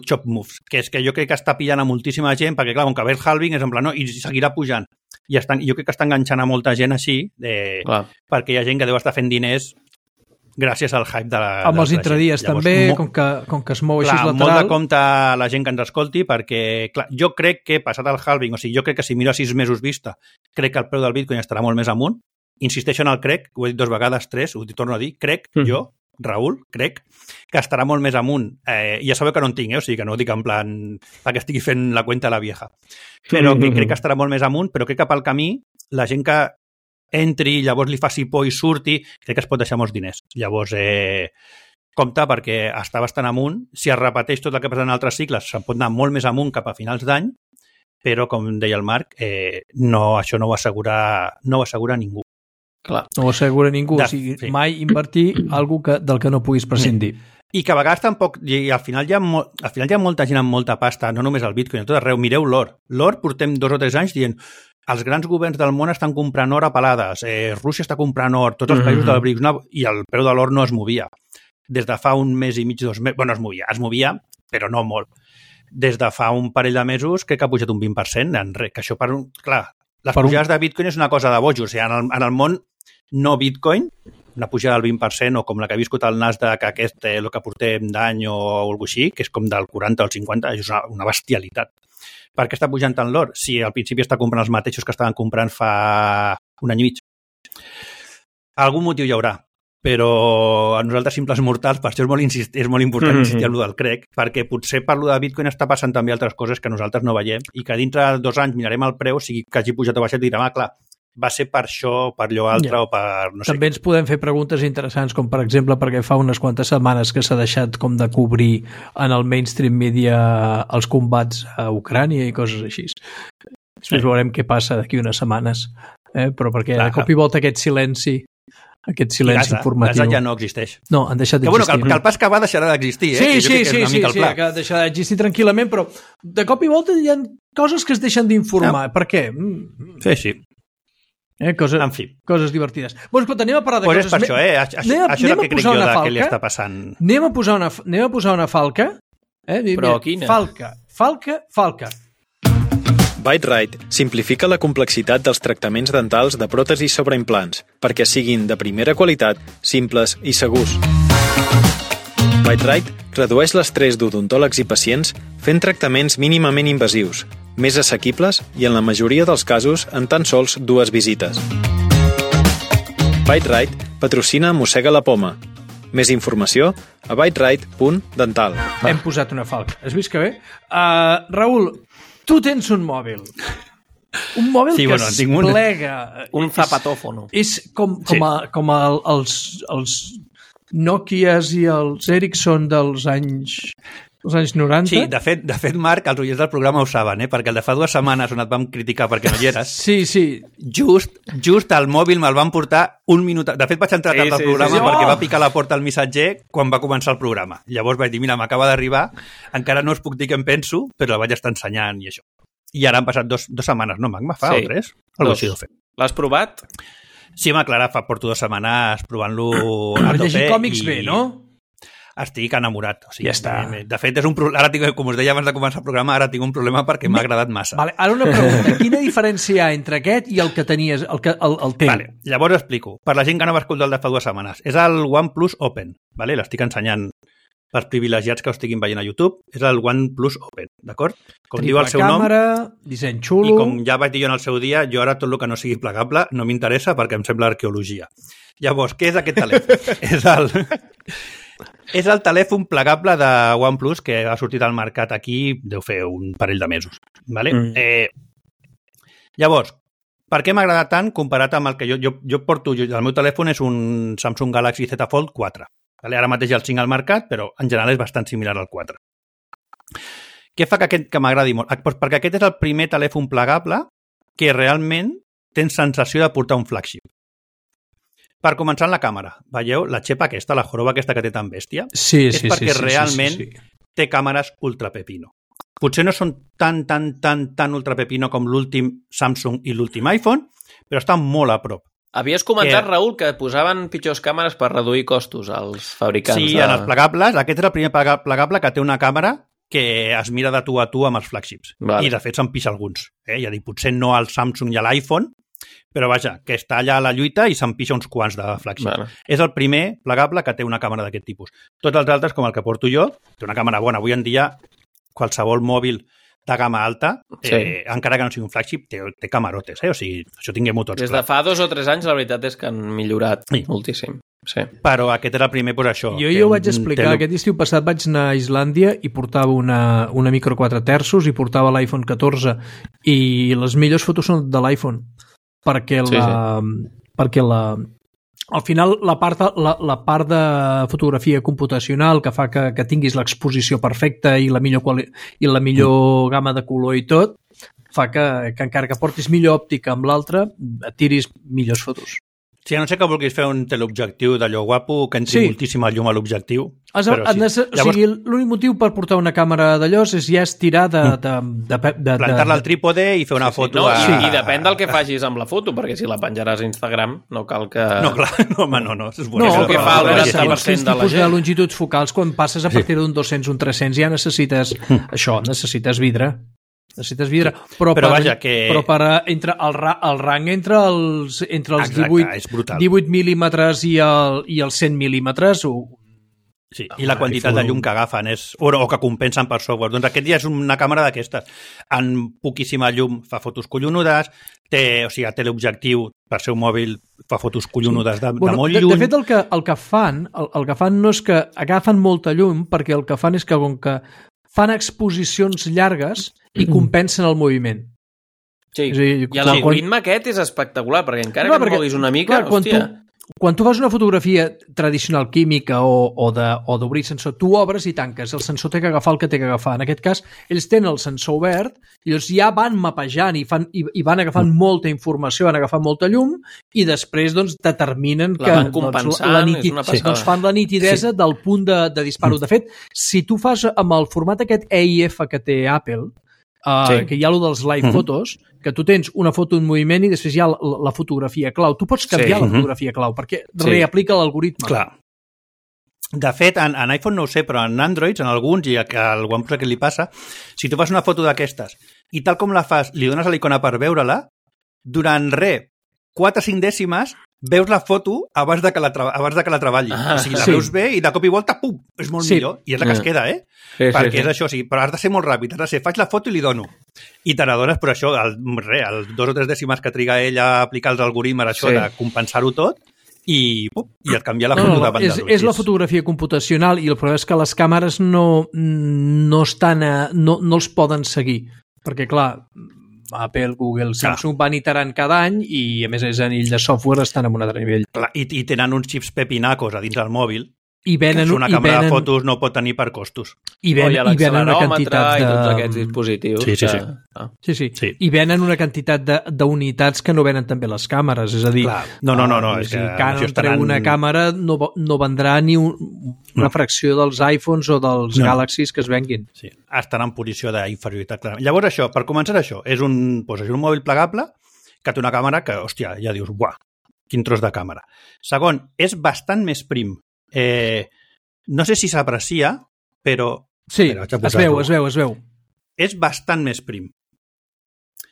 chop moves, que és que jo crec que està pillant a moltíssima gent, perquè clar, com que ve el halving és en plan, no, i seguirà pujant. I estan, jo crec que està enganxant a molta gent així, de, perquè hi ha gent que deu estar fent diners gràcies al hype de la... Amb els intradies també, mo... com, que, com que es mou clar, així lateral. Molt de compte la gent que ens escolti, perquè clar, jo crec que passat el halving, o sigui, jo crec que si miro a sis mesos vista, crec que el preu del Bitcoin estarà molt més amunt. Insisteixo en el crec, ho he dit dos vegades, tres, ho torno a dir, crec, mm. jo, Raül, crec, que estarà molt més amunt. Eh, ja sabeu que no en tinc, eh? O sigui, que no ho dic en plan perquè estigui fent la cuenta a la vieja. Però que crec que estarà molt més amunt, però crec que pel camí la gent que entri, llavors li faci por i surti, crec que es pot deixar molts diners. Llavors, eh, compte, perquè està bastant amunt. Si es repeteix tot el que passa en altres cicles, se'n pot anar molt més amunt cap a finals d'any, però, com deia el Marc, eh, no, això no ho assegura, no ho assegura ningú. Clar. No ho assegura ningú, de, o sigui, sí. mai invertir algo que, del que no puguis prescindir. I que a vegades tampoc, i al final hi ha, mo, al final hi ha molta gent amb molta pasta, no només el Bitcoin, a tot arreu. Mireu l'or. L'or portem dos o tres anys dient els grans governs del món estan comprant or a pelades, eh, Rússia està comprant or, tots els mm-hmm. països del B R I C S, no, i el preu de l'or no es movia. Des de fa un mes i mig, dos mesos, bueno, es movia, es movia, però no molt. Des de fa un parell de mesos crec que ha pujat un vint per cent, en res, que això per un... Clar, les per pujades un... de Bitcoin és una cosa de bojos, o sigui, en el, en el món no Bitcoin, una pujada del vint per cent o com la que ha viscut el Nasdaq aquest, eh, el que portem d'any o alguna així, que és com del quaranta al cinquanta, és una, una bestialitat. Per què està pujant tant l'or? Si al principi està comprant els mateixos que estaven comprant fa un any i mig. Algun motiu hi haurà, però a nosaltres simples mortals, per això és molt, insist, és molt important mm-hmm. insistir en allò del crec, perquè potser per allò de Bitcoin està passant també altres coses que nosaltres no veiem i que dintre de dos anys mirarem el preu, sigui que hagi pujat o baixat i direm, ah, clar, va ser per això, per allò altre yeah. o per... No sé. També ens podem fer preguntes interessants, com per exemple perquè fa unes quantes setmanes que s'ha deixat com de cobrir en el mainstream media els combats a Ucrània i coses així. Després sí. veurem què passa d'aquí unes setmanes, eh? Però perquè Clar, de cop i volta aquest silenci aquest silenci Gaza, informatiu... Gaza ja no existeix. No, han deixat d'existir. Que, bueno, que, el, que el pas que va deixarà d'existir, eh? Sí, que sí, sí, sí, sí, que que deixarà d'existir tranquil·lament, però de cop i volta hi ha coses que es deixen d'informar. No. Per què? Mm. Sí, sí. Eh, coses, en fi. Coses divertides. Bueno, escolta, anem a parlar de pues coses... Pues és per això, eh? Això, anem, això és el que crec jo de què li està passant. Anem a posar una, anem a posar una falca. Eh? Però quina? Falca, falca, falca. Bite-Right simplifica la complexitat dels tractaments dentals de pròtesis sobre implants perquè siguin de primera qualitat, simples i segurs. Bite-Right redueix l'estrès d'odontòlegs i pacients fent tractaments mínimament invasius, més assequibles i en la majoria dels casos en tan sols dues visites. Bite-Right patrocina Mossega la Poma. Més informació a biteright punt dental. Hem posat una falca. Has vist que bé? Uh, Raül, tu tens un mòbil. Un mòbil sí, que bueno, es un... plega. Un zapatófono. És, és com, com, sí. a, com a, els, els Nokias i els Ericsson dels anys Els anys noranta? Sí, de fet, de fet, Marc, els oients del programa ho saben, eh? Perquè el de fa dues setmanes on et vam criticar perquè no hi eres, sí, sí. just, just al mòbil me'l van portar un minut... De fet, vaig entrar Sí, tard al sí, programa sí, sí. perquè Oh! va picar a la porta el missatger quan va començar el programa. Llavors vaig dir, mira, m'acaba d'arribar, encara no us puc dir què em penso, però el vaig estar ensenyant i això. I ara han passat dos, dos setmanes, no, Magma, fa Sí. o tres? Algo Dos. així deu fer. L'has provat? Sí, home, Clara, fa porto dues setmanes provant-lo a Per tope llegir còmics i bé, no? estic enamorat. O sigui, Ja està. De fet, és un pro... ara tinc, com us deia abans de començar el programa, ara tinc un problema perquè m'ha agradat massa. Vale, ara una pregunta. Quina diferència hi ha entre aquest i el que tenies, el, que, el, el teu? Vale, llavors explico. Per la gent que no va escoltar el de fa dues setmanes. És el OnePlus Open. Vale? L'estic ensenyant pels privilegiats que ho estiguin veient a YouTube. És el OnePlus Open, d'acord? Com Triple diu el seu càmera, nom, disseny i xulo... com ja vaig dir jo en el seu dia, jo ara tot el que no sigui plegable no m'interessa perquè em sembla arqueologia. Llavors, què és aquest telèfon? és el... És el telèfon plegable de OnePlus que ha sortit al mercat aquí, deu fer un parell de mesos. Vale? Mm. Eh, llavors, per què m'ha agradat tant comparat amb el que jo, jo, jo porto... Jo, el meu telèfon és un Samsung Galaxy Z Fold quatre. Vale? Ara mateix hi ha el cinc al mercat, però en general és bastant similar al quatre. Què fa que, aquest, que m'agradi molt? Pues perquè aquest és el primer telèfon plegable que realment tens sensació de portar un flagship. Per començar en la càmera, veieu la xepa aquesta, la joroba aquesta que té tan bèstia? Sí, és sí, perquè sí, sí, realment sí, sí, sí. té càmeres ultra pepino. Potser no són tan, tan, tan, tan ultra pepino com l'últim Samsung i l'últim iPhone, però estan molt a prop. Havies comentat, Que- Raül, que posaven pitjors càmeres per reduir costos als fabricants. Sí, de... en els plegables, aquest és el primer plega- plegable que té una càmera que es mira de tu a tu amb els flagships. Vale. I, de fet, se'n pixa alguns. Eh? Ja dic, potser no al Samsung i a l'iPhone, però vaja, que està allà a la lluita i se'n pixa uns quants de flagships. Vale. És el primer plegable que té una càmera d'aquest tipus. Tots els altres, com el que porto jo, té una càmera bona. Avui en dia, qualsevol mòbil de gamma alta, Sí. eh, encara que no sigui un flagship, té, té camarotes. Eh? O sigui, això tinguem-ho tots Des de clar. fa dos o tres anys, la veritat és que han millorat Sí. moltíssim. Sí. Però aquest era el primer, doncs això. Jo té ja ho un- vaig explicar, té- aquest estiu passat vaig anar a Islàndia i portava una, una micro quatre terços i portava l'iPhone catorze i les millors fotos són de l'iPhone perquè Sí, la, perquè la al final la part, la, la part de fotografia computacional que fa que, que tinguis l'exposició perfecta i la millor, quali, i la millor gamma de color i tot fa que, que encara que portis millor òptica amb l'altra et tiris millors fotos. Sí, a no sé que vulguis fer un teleobjectiu d'allò guapo, que entri Sí. moltíssima llum a l'objectiu. Has, però has, sí. o sigui, l'únic motiu per portar una càmera d'allò és ja és tirar de... de, de, de, de Plantar-la al trípode i fer una Sí, foto no, a... i, I depèn del que facis amb la foto, perquè si la penjaràs a Instagram no cal que... No, clar, no, home, no, no. És No, és el que fa el veure, noranta per segons cent quins de la tipus de, gent. longituds focals, quan passes a partir d'un dos-cents, un tres-cents, ja necessites això, necessites vidre. Necessites vidre. Però, Però per, vaja, que- però per a- entre el, ra, el rang entre els, entre els Exacte, divuit, és brutal. divuit mil·límetres i, el, i els cent mil·límetres, ho, Sí, i la quantitat iPhone. de llum que agafen és, o, o que compensen per software. Doncs aquest ja és una càmera d'aquestes. En poquíssima llum fa fotos collonudes, té, o sigui, té l'objectiu per ser un mòbil, fa fotos collonudes de, de molt de, lluny. de fet, el que, el que fan el, el que fan no és que agafen molta llum, perquè el que fan és que com que fan exposicions llargues i compensen el moviment. Sí. És a dir, I quan- l'algoritme aquest és espectacular, perquè encara Clar, que perquè, et moguis una mica, clar, quan hòstia... tu, quan tu fas una fotografia tradicional química o, o de- o d'obrir sensor, tu obres i tanques, el sensor té que agafar el que té que agafar. En aquest cas, ells tenen el sensor obert i llavors ja van mapejant i, fan, i, i van agafant mm. molta informació, van agafant molta llum i després doncs, determinen La que van compensant, la és niti- una sí. passada. doncs fan la nitidesa sí. del punt de, de disparo. De fet, si tu fas amb el format aquest E I F que té Apple, Uh, Sí. que hi ha allò dels live fotos, que tu tens una foto en moviment i després hi ha la, la fotografia clau. Tu pots canviar Sí. la fotografia clau perquè Sí. reaplica l'algoritme. Clar. De fet, en, en iPhone no ho sé, però en Android, en alguns, i al OnePlus que li passa, si tu fas una foto d'aquestes i tal com la fas, li dones a l'icona per veure-la, durant res, quatre o cinc dècimes, veus la foto abans de que la, tra abans de que la treballi. Ah, o sigui, la sí. veus bé i de cop i volta, pum, és molt Sí. millor. I és la que es Ah. queda, eh? Sí, sí, Perquè sí. és això, sí, però has de ser molt ràpid, has de ser, faig la foto i li dono. I te n'adones, però això, el, re, els dos o tres dècimes que triga ell a aplicar els algoritmes, això Sí. de compensar-ho tot, i, pum, i et canvia la No, foto no, no, davant és, dels és la ulls. fotografia computacional i el problema és que les càmeres no, no, estan a, no, no els poden seguir. Perquè, clar, Apple, Google, Samsung van iterant cada any i, a més, és a nivell de software estan en un altre nivell. Clar, i, i tenen uns xips pepinacos a dins del mòbil I venen, una i càmera venen, de fotos no pot tenir per costos. I venen, oh, i venen una quantitat de... I tots aquests dispositius. Sí, sí, sí. Que... Ah. Sí, sí, Sí. I venen una quantitat d'unitats que no venen també les càmeres, és a dir... Clar. No, no, no, no, uh, és si que Canon això treu estaran- una càmera no, no vendrà ni un, una No. fracció dels iPhones o dels No. Galaxies que es venguin. Sí, estan en posició d'inferioritat, clarament. Llavors això, per començar això, és un, doncs, és un mòbil plegable que té una càmera que, hòstia, ja dius, buah, quin tros de càmera. Segon, és bastant més prim. Eh, no sé si s'aprecia, però... Sí, Espera, vaig a es posar-lo. veu, es veu, es veu. És bastant més prim.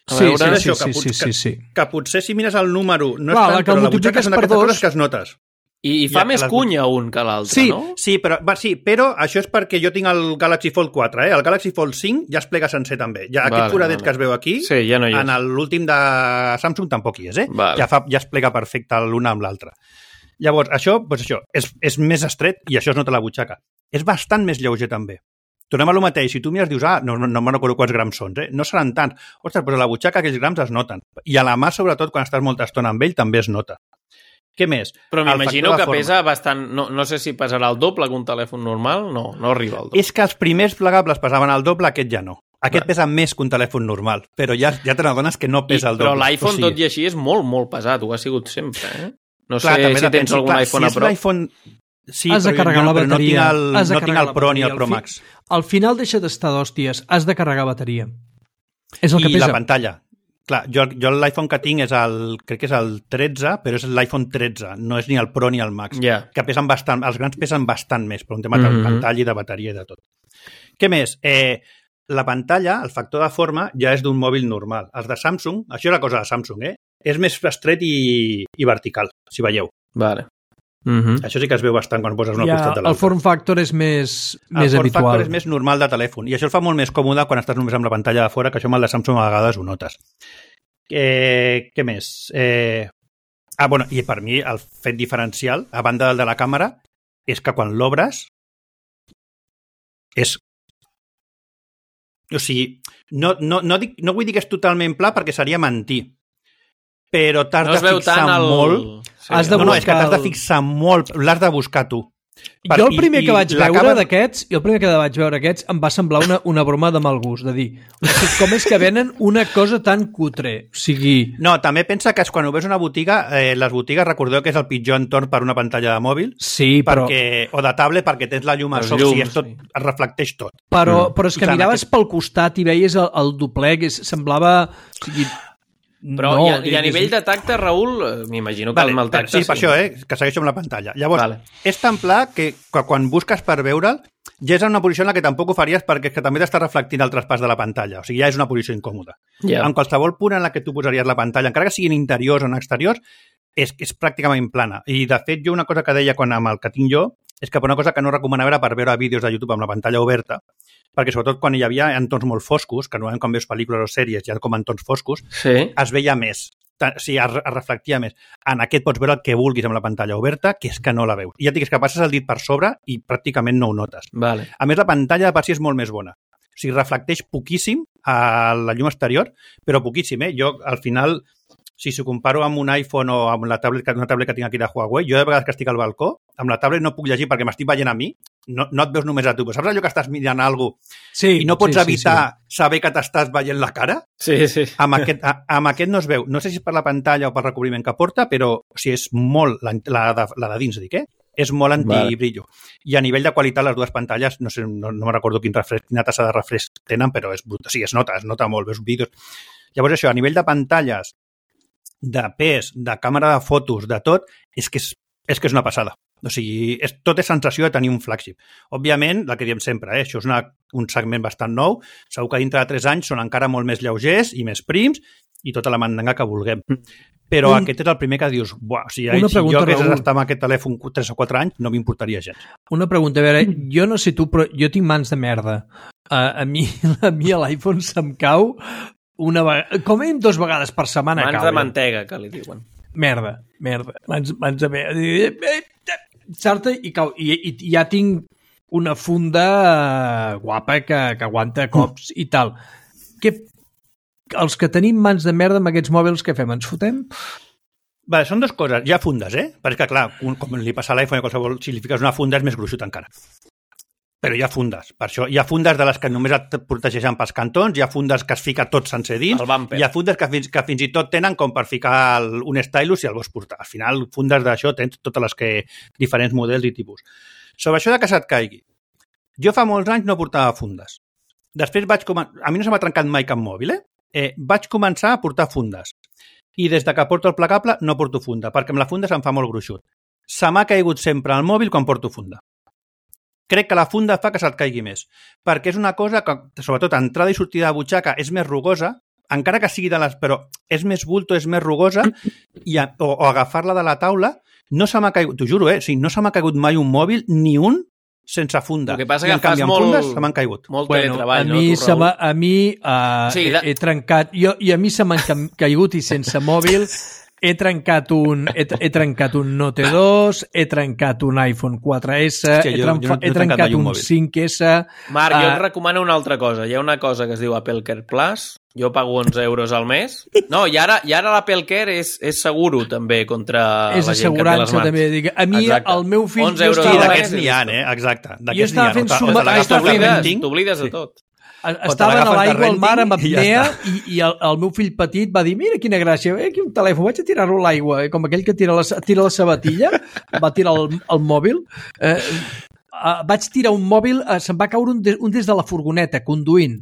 A Sí, veure, sí, això, sí, que, sí, pot- sí, sí, sí. Que, que potser si mires el número no Clar, és la tant, que però el la butxaca multipliques són per aquestes dos- coses que es notes. I, i fa Ja, més les- cunya un que l'altre, Sí. no? Sí, però, va, sí, però això és perquè jo tinc el Galaxy Fold quatre, eh? El Galaxy Fold cinc ja es plega sencer també. Ja, Vale, aquest foradet vale. que es veu aquí, Sí, ja no hi és. en l'últim de Samsung tampoc hi és, eh? Vale. Ja, fa, ja es plega perfecte l'una amb l'altra. Llavors, això, doncs això és, és més estret i això es nota a la butxaca. És bastant més lleuger també. Tornem a lo mateix. Si tu mires, dius, ah, no, no, no me'n recordo quants grams són, eh? No seran tants. Ostres, però a la butxaca aquells grams es noten. I a la mà, sobretot, quan estàs molta estona amb ell, també es nota. Què més? Però El m'imagino factor de que forma. pesa bastant... No, no sé si pesarà el doble que un telèfon normal. No, no arriba al doble. És que els primers plegables pesaven el doble, aquest ja no. Aquest Va. pesa més que un telèfon normal, però ja, ja te n'adones que no pesa I, el doble. però l'iPhone, O sigui, tot i així, és molt, molt pesat. Ho ha sigut sempre, eh? No clar, sé també si depèn, tens sí, algun clar, iPhone si a és prop. l'iPhone... Sí, Has de però carregar jo, la però bateria. no tinc el, has de no tinc carregar el la Pro ni bateria. el Pro Al fi- Max. Al final deixa d'estar d'hòsties. Has de carregar bateria. És el que I pesa. la pantalla. Clar, jo, jo l'iPhone que tinc és el, crec que és el tretze, però és l'iPhone tretze, no és ni el Pro ni el Max, Ja. que pesen bastant, els grans pesen bastant més, per un tema de Mhm. pantalla i de bateria i de tot. Què més? Eh, la pantalla, el factor de forma, ja és d'un mòbil normal. Els de Samsung, això és la cosa de Samsung, eh? És més estret i, i vertical, si veieu. Vale. Mm Això sí que es veu bastant quan poses una Ja, costat de el l'altra. form factor és més, El més form habitual. factor és més normal de telèfon i això el fa molt més còmode quan estàs només amb la pantalla de fora, que això amb el de Samsung a vegades ho notes. Eh, què més? Eh... Ah, bueno, i per mi el fet diferencial, a banda del de la càmera, és que quan l'obres és... O sigui, no, no, no, dic, no vull dir que és totalment pla perquè seria mentir, però t'has No es de veu fixar tant el... molt... Sí, Has de No, no, és que t'has de el- fixar molt, l'has de buscar tu. Per- Jo el primer i- que vaig i la veure càmera- d'aquests, jo el primer que vaig veure aquests em va semblar una, una broma de mal gust, de dir, hosti, com és que venen una cosa tan cutre? O sigui, No, també pensa que és quan ho ves a una botiga, eh, les botigues recordeu que és el pitjor entorn per una pantalla de mòbil, sí, però, perquè, o de tablet perquè tens la llum a Els sobre, o sigui, llums, és tot, sí. es reflecteix tot. però, Mm. però és que Clar, miraves aquest- pel costat i veies el, el doblec, és, semblava... O sigui, Però no, i, a, i a digues- nivell de tacte, Raül, eh, m'imagino que Vale, amb el vale, tacte... sí, per això, eh, que segueixo amb la pantalla. Llavors, Vale. és tan pla que, que quan busques per veure'l, ja és en una posició en la que tampoc ho faries perquè és que també t'està reflectint el traspàs de la pantalla. O sigui, ja és una posició incòmoda. Ja. En qualsevol punt en la que tu posaries la pantalla, encara que siguin interiors o en exteriors, és que és pràcticament plana. I, de fet, jo una cosa que deia quan amb el que tinc jo és que una cosa que no recomanava era per veure vídeos de YouTube amb la pantalla oberta, perquè sobretot quan hi havia entorns molt foscos, que normalment quan veus pel·lícules o sèries hi ha com entorns foscos, Sí. es veia més. O sigui, es, es reflectia més. En aquest pots veure el que vulguis amb la pantalla oberta, que és que no la veus. I ja et dic, és que passes el dit per sobre i pràcticament no ho notes. Vale. A més, la pantalla de per si és molt més bona. O sigui, reflecteix poquíssim a la llum exterior, però poquíssim, eh? Jo, al final, si s'ho comparo amb un iPhone o amb la tablet, una tablet que tinc aquí de Huawei, jo de vegades que estic al balcó, amb la tablet no puc llegir perquè m'estic veient a mi, no, no et veus només a tu. Però saps allò que estàs mirant alguna cosa sí, i no pots sí, sí, evitar saber que t'estàs veient la cara? Sí, sí. Amb aquest, a, amb aquest no es veu. No sé si és per la pantalla o per recobriment que porta, però o sigui, és molt, la, la, de, la de dins, dic, eh? És molt antibrillo. Vale. I a nivell de qualitat, les dues pantalles, no sé, no, no me recordo quin refresc, quina tassa de refresc tenen, però és brut. O sigui, es nota, es nota molt, veus vídeos. Llavors, això, a nivell de pantalles, de pes, de càmera de fotos, de tot, és que és, és, que és una passada. O sigui, és, tot és sensació de tenir un flagship. Òbviament, el que diem sempre, eh? Això és una, un segment bastant nou, segur que dintre de tres anys són encara molt més lleugers i més prims i tota la mandanga que vulguem. Però Un- aquest és el primer que dius, buah, o sigui, Una si pregunta, jo hagués Raül. d'estar amb aquest telèfon tres o quatre anys, no m'importaria gens. Una pregunta, a veure, jo no sé tu, però jo tinc mans de merda. Uh, a mi a mi a l'iPhone se'm cau una vegada, com a mínim dues vegades per setmana Mans cau. de mantega, que li diuen. Merda, merda. Mans, mans de merda. Sarta i cau. I, i, i ja tinc una funda uh, guapa que, que aguanta cops i tal. Què, els que tenim mans de merda amb aquests mòbils, què fem? Ens fotem? Vale, són dues coses. Hi ha fundes, eh? Perquè, clar, un, com li passa a l'iPhone i qualsevol, si li fiques una funda és més gruixut encara. Però hi ha fundes. Per això hi ha fundes de les que només et protegeixen pels cantons, hi ha fundes que es fica tot sencer dins, hi ha fundes que fins, que fins i tot tenen com per ficar el, un stylus si el vols portar. Al final, fundes d'això tens totes les que... diferents models i tipus. Sobre això de que se't caigui. Jo fa molts anys no portava fundes. Després vaig començar... A mi no se m'ha trencat mai cap mòbil, eh? eh? Vaig començar a portar fundes. I des de que porto el plegable no porto funda, perquè amb la funda se'm fa molt gruixut. Se m'ha caigut sempre al mòbil quan porto funda. Crec que la funda fa que se't caigui més, perquè és una cosa que, sobretot, entrada i sortida de butxaca és més rugosa, encara que sigui de les... però és més bulto, és més rugosa, i a, o, o agafar-la de la taula, no se m'ha caigut, t'ho juro, eh? O sigui, no se m'ha caigut mai un mòbil, ni un, sense funda. El que passa I que en canvi, amb molt, fundes se m'han caigut. Molt bueno, teletreball, a mi, no? Se m'ha, a mi uh, sí, he, de... he trencat... Jo, I a mi se m'han caigut i sense mòbil he trencat un, he, he trencat un Note dos, he trencat un iPhone quatre essa, Hòstia, he, jo, trenfa, jo no he he trencat trencat un, un cinc essa... Marc, jo uh, et recomano una altra cosa. Hi ha una cosa que es diu Apple Care Plus. Jo pago onze euros al mes. No, i ara, i ara l'Apple Care és, és seguro també contra és la gent que té les mans. també. Dic, a mi, Exacte. el meu fill... onze euros Sí, al d'aquests mes, n'hi ha, eh? Exacte. Jo estava fent suma... T'oblides de tot. Estaven a l'aigua al mar amb apnea ja i, i el, el meu fill petit va dir mira quina gràcia, eh, aquí un telèfon, vaig a tirar-lo a l'aigua, eh, com aquell que tira la, tira la sabatilla, va tirar el, el mòbil. Eh, eh, vaig tirar un mòbil, eh, se'm va caure un, de, un des de la furgoneta, conduint.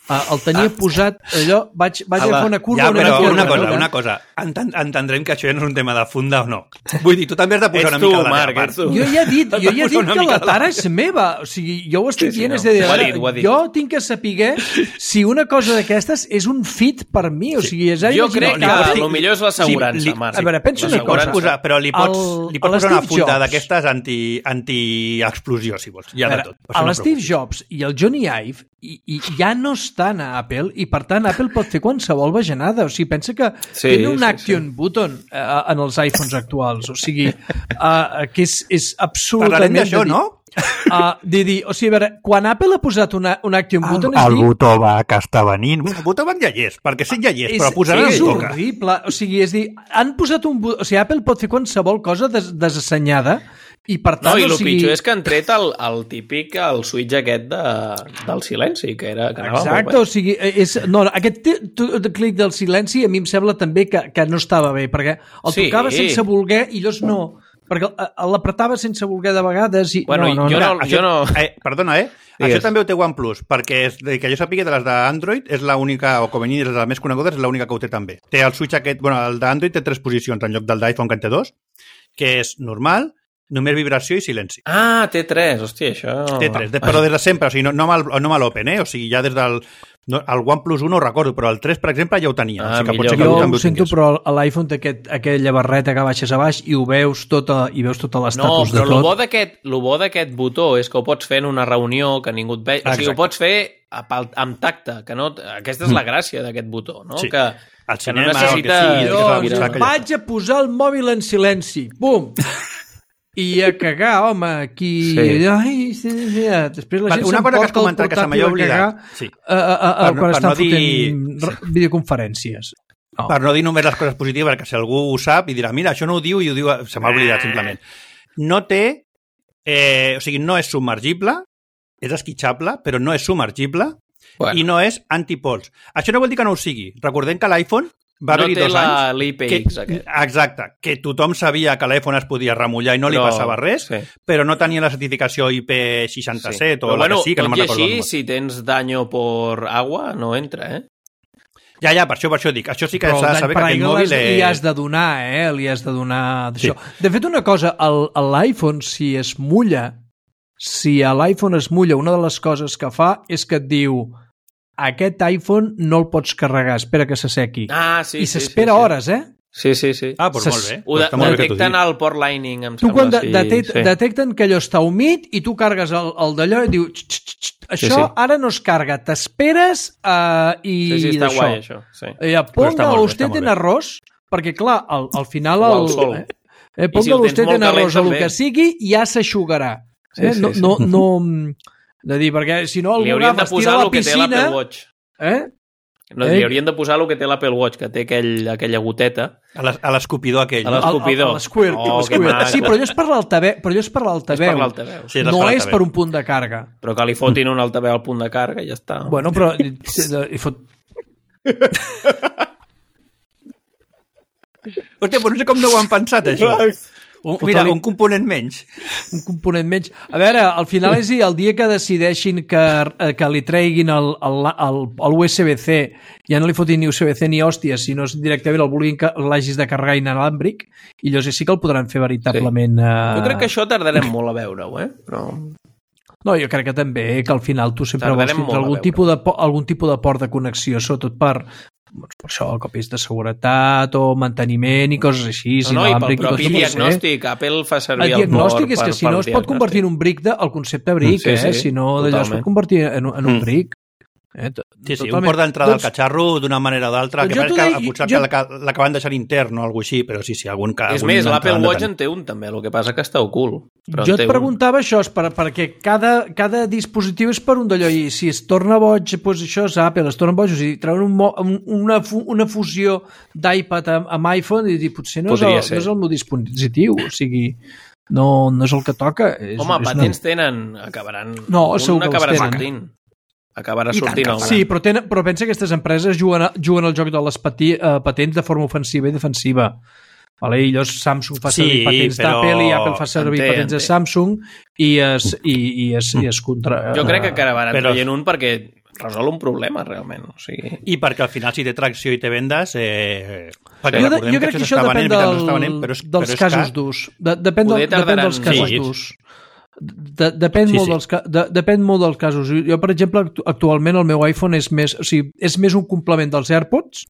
Uh, el tenia ah. posat, allò, vaig, vaig a fer una curva... Ja, però una, una cosa, una cosa, Enten, entendrem que això ja no és un tema de funda o no. Vull dir, tu també has de posar ets una mica tu, de la Marc, part. Jo ja he dit, jo ja he dit que la tara és meva, o sigui, jo ho estic sí, dient, sí, no. és de dir, ara, jo tinc que saber si una cosa d'aquestes és un fit per mi, o sigui, és... Jo crec que el millor és l'assegurança, sí, Marc. A veure, penso una cosa. Posar, però li pots, el, li pots posar una funda d'aquestes anti-explosió, si vols. Ja de tot. A l'Steve Jobs i el Johnny Ive i, i ja no estan a Apple i per tant Apple pot fer qualsevol bajanada, o sigui, pensa que sí, tenen un sí, action sí. button uh, en els iPhones actuals, o sigui uh, que és, és absolutament... Parlarem d'això, no? Uh, de dir, o sigui, a veure, quan Apple ha posat una, un action button... El, el dir, botó va que està venint, el botó va ja hi és, perquè sí ja hi és, és però posar és el horrible, o sigui, és dir, han posat un botó, o sigui, Apple pot fer qualsevol cosa des, desassenyada i per tant, no, i el o sigui... pitjor és que han tret el, el típic, el switch aquest de, del silenci, que era que anava Exacte, o sigui, és, no, aquest clic del silenci a mi em sembla també que, que no estava bé, perquè el sí. tocava sense voler i llavors no, perquè l'apretava sense voler de vegades i... Bueno, no, no, jo no, no... Això, jo no... Eh, perdona, eh? Digues. Això també ho té OnePlus, perquè és, que jo sàpiga de les d'Android és l'única, o com a mínim de les més conegudes, és l'única que ho té també. Té el switch aquest, bueno, el d'Android té tres posicions en lloc del d'iPhone que en té dos, que és normal, només vibració i silenci. Ah, té tres, hòstia, això... Té tres, de, però des de sempre, o sigui, no, no amb l'Open, eh? O sigui, ja des del... No, el OnePlus un no ho recordo, però el tres, per exemple, ja ho tenia. Ah, o sigui, que jo ho, ho sento, però l'iPhone té aquest, aquella barreta que baixes a baix i ho veus tota, i veus tot l'estatus no, de tot. No, però el bo d'aquest botó és que ho pots fer en una reunió que ningú et vegi. O sigui, ho pots fer amb tacte, que no... Aquesta és la gràcia d'aquest botó, no? Sí. Que, el que no cinema, necessita... Que sí, doncs vaig a posar el mòbil en silenci. Bum! I a cagar, home, aquí... Sí. Ai, sí, sí, després la gent una cosa que has comentat que se m'ha oblidat. Sí. A, a, a, a, quan per estan no fotent dir... videoconferències. No. Per no dir només les coses positives, perquè si algú ho sap i dirà, mira, això no ho diu i ho diu... Se m'ha oblidat, simplement. No té... Eh, o sigui, no és submergible, és esquitxable, però no és submergible bueno. i no és antipols. Això no vol dir que no ho sigui. Recordem que l'iPhone va no haver-hi dos la, anys... l'I P X que, aquest. Exacte, que tothom sabia que l'iPhone es podia remullar i no li però, passava res, sí. però no tenia la certificació I P seixanta-set sí. o però, la bueno, que sí, que no me'n recordo. Tot i així, si tens daño por agua, no entra, eh? Ja, ja, per això, per això dic. Això sí que s'ha de saber que aquest mòbil és... li has de donar, eh? Li has de donar d'això. Sí. De fet, una cosa, l'iPhone, si es mulla, si a l'iPhone es mulla, una de les coses que fa és que et diu aquest iPhone no el pots carregar, espera que s'assequi. Ah, sí, I sí, s'espera sí, sí. hores, eh? Sí, sí, sí. Ah, doncs molt bé. Ho de, molt detecten el port lining, em tu sembla. quan de, sí, detect, sí. detecten que allò està humit i tu cargues el, el d'allò i diu això sí, sí. ara no es carga, t'esperes uh, i sí, sí, està d'això. guai, això. Sí. Eh, ponga usted en arroz, perquè clar, al, al final... El, el sol. Eh, eh, ponga si usted en arroz o el que sigui, ja s'aixugarà. Eh? Sí, sí, no, sí. no, no, de dir, perquè si no algú agafa, es tira a la piscina... Eh? No, eh? Li haurien de posar el que té l'Apple Watch, que té aquell, aquella goteta. A l'escopidor aquell. A l'escopidor. L'Squirt. Oh, sí, però allò és per l'altaveu. Però allò és per l'altaveu. Sí, no és per un punt de càrrega. Però que li fotin un altaveu al punt de càrrega i ja està. Bueno, però... Hi fot... Hòstia, però no sé com no ho han pensat, això. Un, mira, un component menys. Un component menys. A veure, al final és el dia que decideixin que, que li treguin el, el, el, el U S B C, ja no li fotin ni U S B C ni hòsties, sinó directament el vulguin que l'hagis de carregar inalàmbric, i llavors sí que el podran fer veritablement... Sí. Uh... Jo crec que això tardarem molt a veure-ho, eh? Però... No, jo crec que també, que al final tu sempre vols tindre algun tipus, de, algun tipus de port de connexió, sobretot per... Doncs per això, copis de seguretat o manteniment i coses així. No, no, i pel propi diagnòstic. Apple fa servir el, el diagnòstic és que si no es pot convertir en un brick de, el concepte brick, sí, sí, eh? Si no d'allò es pot convertir en, en un brick. Eh? Sí, sí, un port d'entrada doncs, al catxarro d'una manera o d'altra, que pareix que potser jo... l'acaben deixant intern o alguna cosa així, però sí, sí, algun cas. És més, l'Apple Watch en té un també, el que passa que està ocult. Però jo et preguntava un. Això, per, perquè cada, cada dispositiu és per un d'allò, i si es torna boig, doncs això és Apple, es torna boig, o sigui, treuen un, un, una, una fusió d'iPad amb, amb iPhone i dir, potser no és, el, no és el meu dispositiu, o sigui... No, no és el que toca. És, Home, és patents una... tenen, acabaran... No, segur que acabarà els tenen. sortint. Acabarà sortint el Sí, però, tenen, però pensa que aquestes empreses juguen, a, juguen al joc de les pati, uh, patents de forma ofensiva i defensiva. Vale? I llavors Samsung fa servir sí, patents però... d'Apple i Apple fa servir enté, patents enté. de Samsung i es, i, i es, i es contra... Jo crec que acabaran però... traient un perquè resol un problema, realment. O sigui... I perquè al final, si té tracció i té vendes... Eh... Jo, de, jo crec que, que això depèn del, venent, però és, dels però casos d'ús. De, depèn, del, depèn dels casos sí. d'ús. De, depèn, sí, molt sí. Dels, de, depèn molt dels casos. Jo, per exemple, actualment el meu iPhone és més, o sigui, és més un complement dels AirPods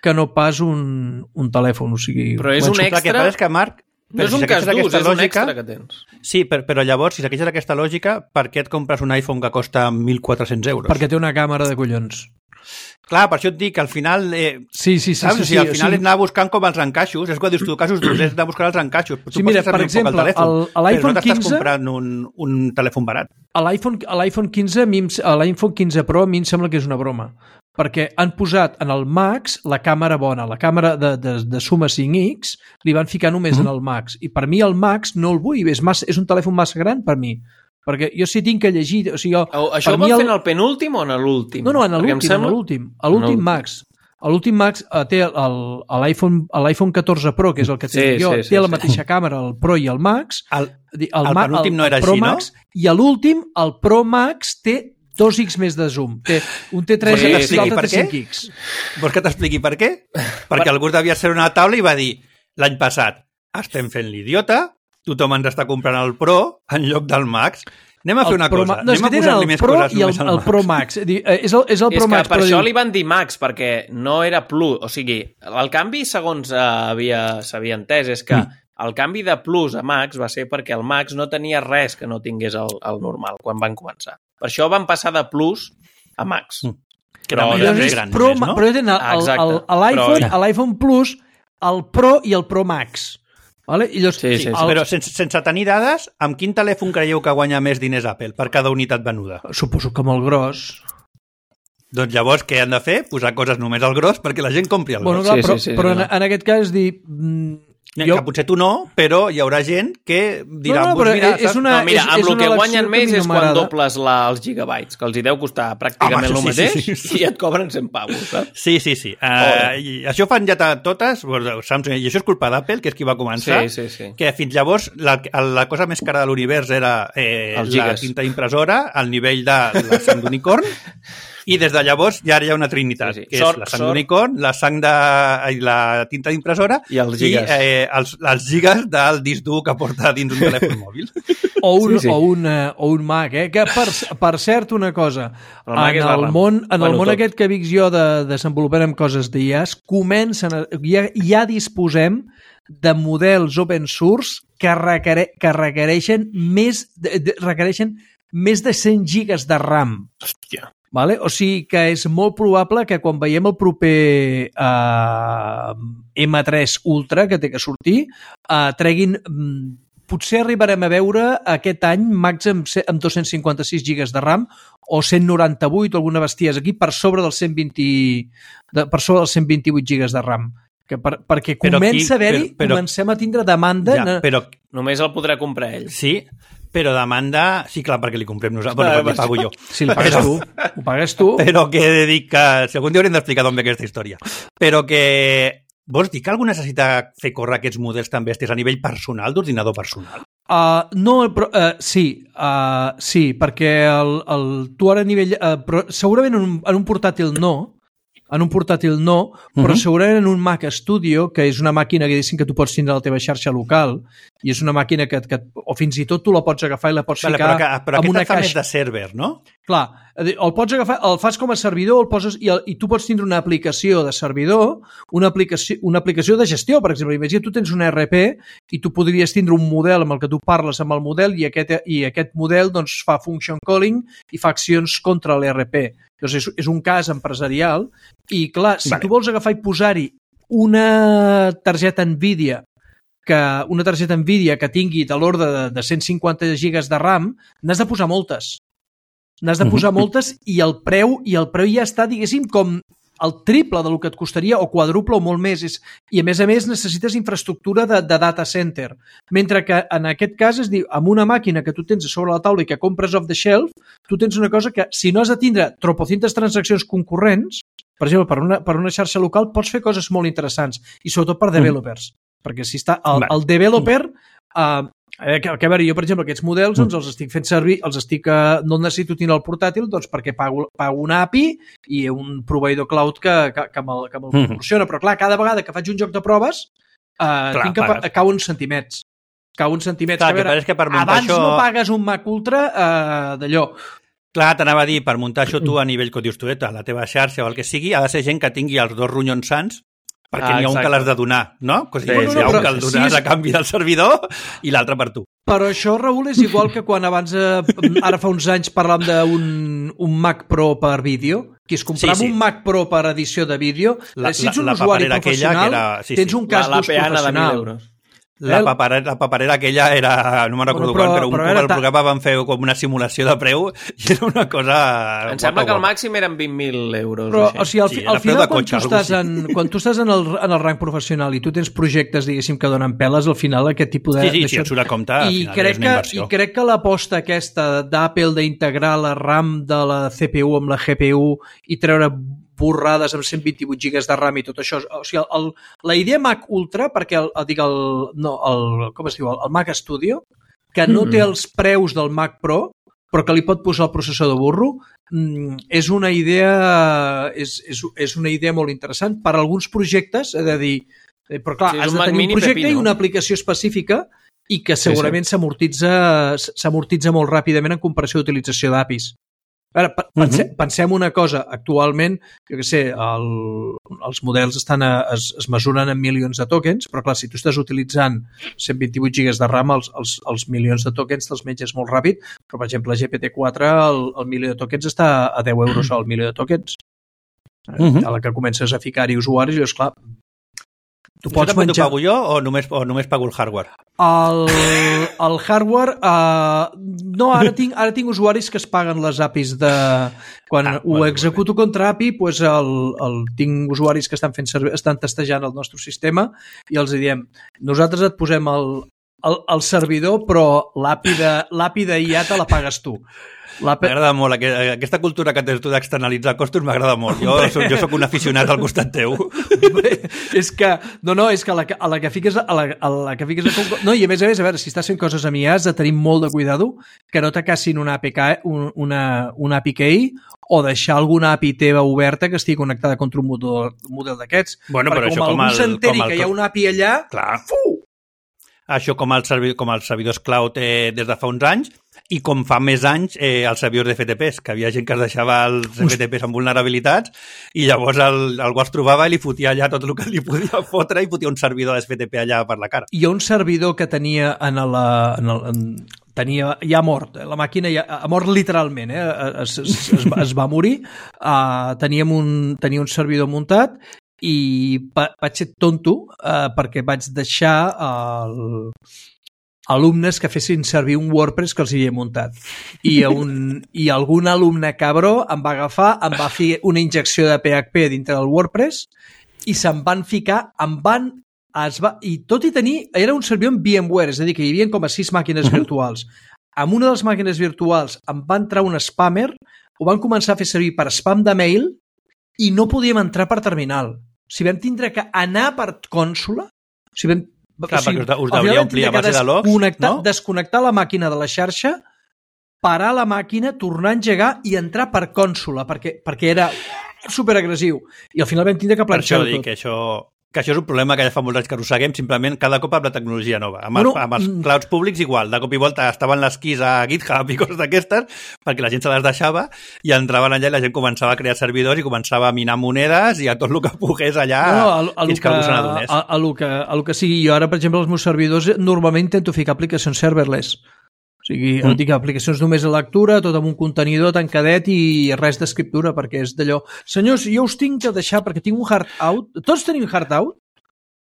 que no pas un, un telèfon. O sigui, però és un extra... Que és que, Marc, no és un cas d'ús, és lògica, un extra que tens. Sí, però, però llavors, si segueixes aquesta lògica, per què et compres un iPhone que costa mil quatre-cents euros? Perquè té una càmera de collons. Clar, per això et dic que al final... Eh, sí, sí, sí. Saps? sí, o sigui, al sí, final sí. és anar buscant com els encaixos. És quan dius tu, casos d'ús, és anar buscant els encaixos. Tu sí, mira, per exemple, telèfon, l'iPhone no quinze... comprant un, un telèfon barat. A l'iPhone quinze, l'iPhone quinze Pro a mi em sembla que és una broma. Perquè han posat en el Max la càmera bona, la càmera de, de, de Suma cinc X, li van ficar només mm. en el Max. I per mi el Max no el vull, és, massa, és un telèfon massa gran per mi. Perquè jo sí tinc que llegir... O sigui, jo, això ho van el... fer en el penúltim o en l'últim? No, no, en l'últim, sembla... en l'últim. A l'últim no. Max. A l'últim Max uh, té l'iPhone catorze Pro, que és el que tinc sí, jo, sí, sí, té la sí. mateixa càmera, el Pro i el Max. El, el, el Ma, penúltim el, no era el Pro així, Max, no? I a l'últim, el Pro Max té dos X més de zoom. Té, un té tres sí, X i l'altre té cinc X. Vols que t'expliqui per què? Perquè per... algú devia ser una taula i va dir l'any passat, estem fent l'idiota, tothom ens està comprant el Pro en lloc del Max. Anem a fer una Pro, cosa. No, Anem a posar-li més Pro coses i el, el Pro Max. És el, és el Pro és Max. Que per això diu... li van dir Max, perquè no era Plus. O sigui, el canvi, segons s'havia entès, és que mm. el canvi de Plus a Max va ser perquè el Max no tenia res que no tingués el, el normal quan van començar. Per això van passar de Plus a Max. Mm. Que però, era més gran Pro, només, no? Però tenen l'iPhone Plus, el Pro i el Pro Max. Vale? I llavors, sí, sí, sí. El... Però sense, sense tenir dades, amb quin telèfon creieu que guanya més diners Apple per cada unitat venuda? Suposo que molt gros. Doncs llavors què han de fer? Posar coses només al gros perquè la gent compri el bueno, gros. Clar, sí, però sí, sí, però sí, en, en aquest cas dir... Jo... Que potser tu no, però hi haurà gent que dirà... No, no, però mira, és una, no, mira, amb és, el que guanyen que més és quan dobles la, els gigabytes, que els hi deu costar pràcticament el sí, mateix, sí, sí. i et cobren cent pavos, saps? Sí, sí, sí. Uh, i això fan ja totes, Samsung, i això és culpa d'Apple, que és qui va començar, sí, sí, sí. que fins llavors la, la cosa més cara de l'univers era eh, la tinta impressora, al nivell de la sang d'unicorn, i des de llavors ja hi ha una trinitat, sí, sí. que sort, és la sang d'unicorn, la sang de... la tinta d'impressora i els gigas, i, eh, els, els gigas del disc dur que porta dins un telèfon mòbil. O un, sí, sí. O un, o un Mac, eh? Que per, per cert, una cosa, el en el món, en el món tot. Aquest que dic jo de desenvolupem coses d'I A S, comencen a, ja, ja disposem de models open source que, requere, que requereixen més de, de, requereixen més de cent gigas de RAM. Hòstia. Vale? O sigui que és molt probable que quan veiem el proper eh, ema tres Ultra que té que sortir, eh, treguin potser arribarem a veure aquest any Macs amb, amb dos-cents cinquanta-sis gigas de RAM o cent noranta-vuit o alguna bestiesa aquí per sobre dels cent vint, de, per sobre dels cent vint-i-vuit gigas de RAM. Que per, perquè comença a haver-hi, comencem a tindre demanda... Ja, però només el podrà comprar ell. Sí, però demanda... Sí, clar, perquè li comprem nosaltres, bueno, perquè li pago jo. Si li pagues tu, ho pagues tu. Però que he de dir que... Si algun dia haurem d'explicar d'on ve aquesta història. Però que... Vols dir que algú necessita fer córrer aquests models tan bèsties a nivell personal, d'ordinador personal? Uh, no, però, uh, sí, uh, sí, perquè el, el, tu ara a nivell... Uh, però segurament en un, en un portàtil no, en un portàtil no, però uh-huh. segurament en un Mac Studio, que és una màquina que, que tu pots tindre a la teva xarxa local, i és una màquina que, que o fins i tot tu la pots agafar i la pots vale, ficar però que, però amb una caixa. Però aquesta més de server, no? Clar, el pots agafar, el fas com a servidor, el poses, i, el, i tu pots tindre una aplicació de servidor, una aplicació, una aplicació de gestió, per exemple. Imagina, tu tens un E R P i tu podries tindre un model amb el que tu parles amb el model i aquest, i aquest model doncs, fa function calling i fa accions contra l'E R P. Doncs és, és un cas empresarial i, clar, si vale. tu vols agafar i posar-hi una targeta NVIDIA que una targeta NVIDIA que tingui de l'ordre de, de cent cinquanta gigas de RAM, n'has de posar moltes. N'has de posar moltes i el preu i el preu ja està, diguéssim, com el triple del que et costaria, o quadruple o molt més. És, I, a més a més, necessites infraestructura de, de data center. Mentre que, en aquest cas, es diu, amb una màquina que tu tens a sobre la taula i que compres off the shelf, tu tens una cosa que, si no has de tindre tropocientas transaccions concurrents, per exemple, per una, per una xarxa local, pots fer coses molt interessants, i sobretot per developers. Mm. Perquè si està el, el developer... Uh, Eh, que, que a veure, jo, per exemple, aquests models doncs, els estic fent servir, els estic, eh, no necessito tenir el portàtil doncs, perquè pago, pago una A P I i un proveïdor cloud que, que, que me'l, que me'l proporciona. Però, clar, cada vegada que faig un joc de proves, eh, clar, tinc que pa cau uns centimets. Cau uns centimets. Clar, que, a veure, que per abans això... no pagues un Mac Ultra eh, d'allò. Clar, t'anava a dir, per muntar això tu a nivell que dius tu, a la teva xarxa o el que sigui, ha de ser gent que tingui els dos ronyons sants, perquè ah, n'hi ha un que l'has de donar, no? O sigui, sí, sí, hi ha un que el dones sí, és... a canvi del servidor i l'altre per tu. Però això, Raül, és igual que quan abans, eh, ara fa uns anys, parlàvem d'un un Mac Pro per vídeo, que es comprava sí, sí. un Mac Pro per edició de vídeo, la, si ets un la, la usuari professional, era, sí, sí. tens un cas d'ús professional. La paperera, la paperera aquella era, no me'n recordo bueno, però, quan, però un cop el programa van fer com una simulació de preu i era una cosa... Em guapa, sembla que el màxim eren vint mil euros. Però, o sigui, al, sí, al final, quan, cotxe, tu estàs en, quan tu estàs en el, en el rang professional i tu tens projectes, diguéssim, que donen peles, al final aquest tipus de... Sí, sí, si et surt a compte, al I final crec és una inversió. Que, I crec que l'aposta aquesta d'Apple d'integrar la RAM de la C P U amb la G P U i treure borrades amb cent vint-i-vuit gigas de RAM i tot això. O sigui, el, la idea Mac Ultra, perquè el, el, dic el, no, el, com es diu, el, el Mac Studio, que no té els preus del Mac Pro, però que li pot posar el processor de burro, és una idea, és, és, és una idea molt interessant per a alguns projectes, he de dir, però clar, sí, has de tenir un projecte i una aplicació específica i que segurament sí, sí. s'amortitza molt ràpidament en comparació d'utilització d'A P Is. Ara, pense, uh-huh. pensem una cosa, actualment, jo què sé, el, els models estan a, es, es mesuren en milions de tokens, però clar, si tu estàs utilitzant cent vint-i-vuit gigas de RAM, els, els, els milions de tokens te'ls menges molt ràpid, però per exemple, G P T quatre, el, el milió de tokens està a deu euros al milió de tokens. Uh-huh. A la que comences a ficar-hi usuaris, i és clar, tu pots menjar... T'ho pago jo o només, o només pago el hardware? El, el hardware... Uh, no, ara tinc, ara tinc usuaris que es paguen les A P Is de... Quan ah, ho bueno, executo bueno. contra A P I, pues el, el, tinc usuaris que estan, fent serve, estan testejant el nostre sistema i els diem, nosaltres et posem el, el, el servidor, però l'A P I de, l'A P I de I A te la pagues tu. M'agrada molt, aquesta cultura que tens tu d'externalitzar costos m'agrada molt. Jo soc, jo soc un aficionat al costat teu. És que, no, no, és que a la, a la que fiques a la, a la que fiques a... No, i a més a més, a veure, si estàs fent coses amb I A has de tenir molt de cuidado que no t'acassin una A P K, una, una A P Key o deixar alguna A P I teva oberta que estigui connectada contra un model, un model d'aquests. Bueno, però perquè això com algú s'enteri que hi ha una A P I allà, clar. Fu! Això com, el servi... com els servidors cloud eh, des de fa uns anys, i com fa més anys eh, els servidors d'F T Ps, que havia gent que es deixava els F T Ps amb vulnerabilitats i llavors el, algú els trobava i li fotia allà tot el que li podia fotre i fotia un servidor d'F T P allà per la cara. Hi ha un servidor que tenia en la... En el, en, tenia, ja mort, la màquina ja, ha mort literalment, eh? es, es, es, es va morir, uh, teníem un, tenia un servidor muntat i va, vaig ser tonto uh, perquè vaig deixar el... alumnes que fessin servir un WordPress que els hi havia muntat. I, un, i algun alumne cabró em va agafar, em va fer una injecció de P H P dintre del WordPress i se'n van ficar, em van... Es va, i tot i tenir... Era un servidor en VMware, és a dir, que hi havia com a sis màquines uh-huh. virtuals. Amb una de les màquines virtuals em va entrar un spammer, ho van començar a fer servir per spam de mail i no podíem entrar per terminal. O sigui, vam tindre que anar per consola. O sigui, vam, Clar, o sigui, perquè us deuria omplir a base de logs, no? Desconnectar la màquina de la xarxa, parar la màquina, tornar a engegar i entrar per consola, perquè, perquè era superagressiu. I al final vam tindre que planxar-ho tot. Per això dic que això... que això és un problema que ja fa molts anys que arrosseguem, simplement cada cop amb la tecnologia nova. Amb, bueno, els, amb els clouds públics igual, de cop i volta estaven les keys a GitHub i coses d'aquestes, perquè la gent se les deixava i entraven allà i la gent començava a crear servidors i començava a minar monedes i a tot el que pogués allà no, a, a fins que, que algú se n'adonés. A, a, a, lo que, a lo que sigui. Jo ara, per exemple, els meus servidors normalment intento ficar aplicacions serverless. O sigui, mm. dic aplicacions només a lectura, tot amb un contenidor tancadet i res d'escriptura, perquè és d'allò... Senyors, jo us tinc que deixar perquè tinc un hard out. Tots tenim hard out?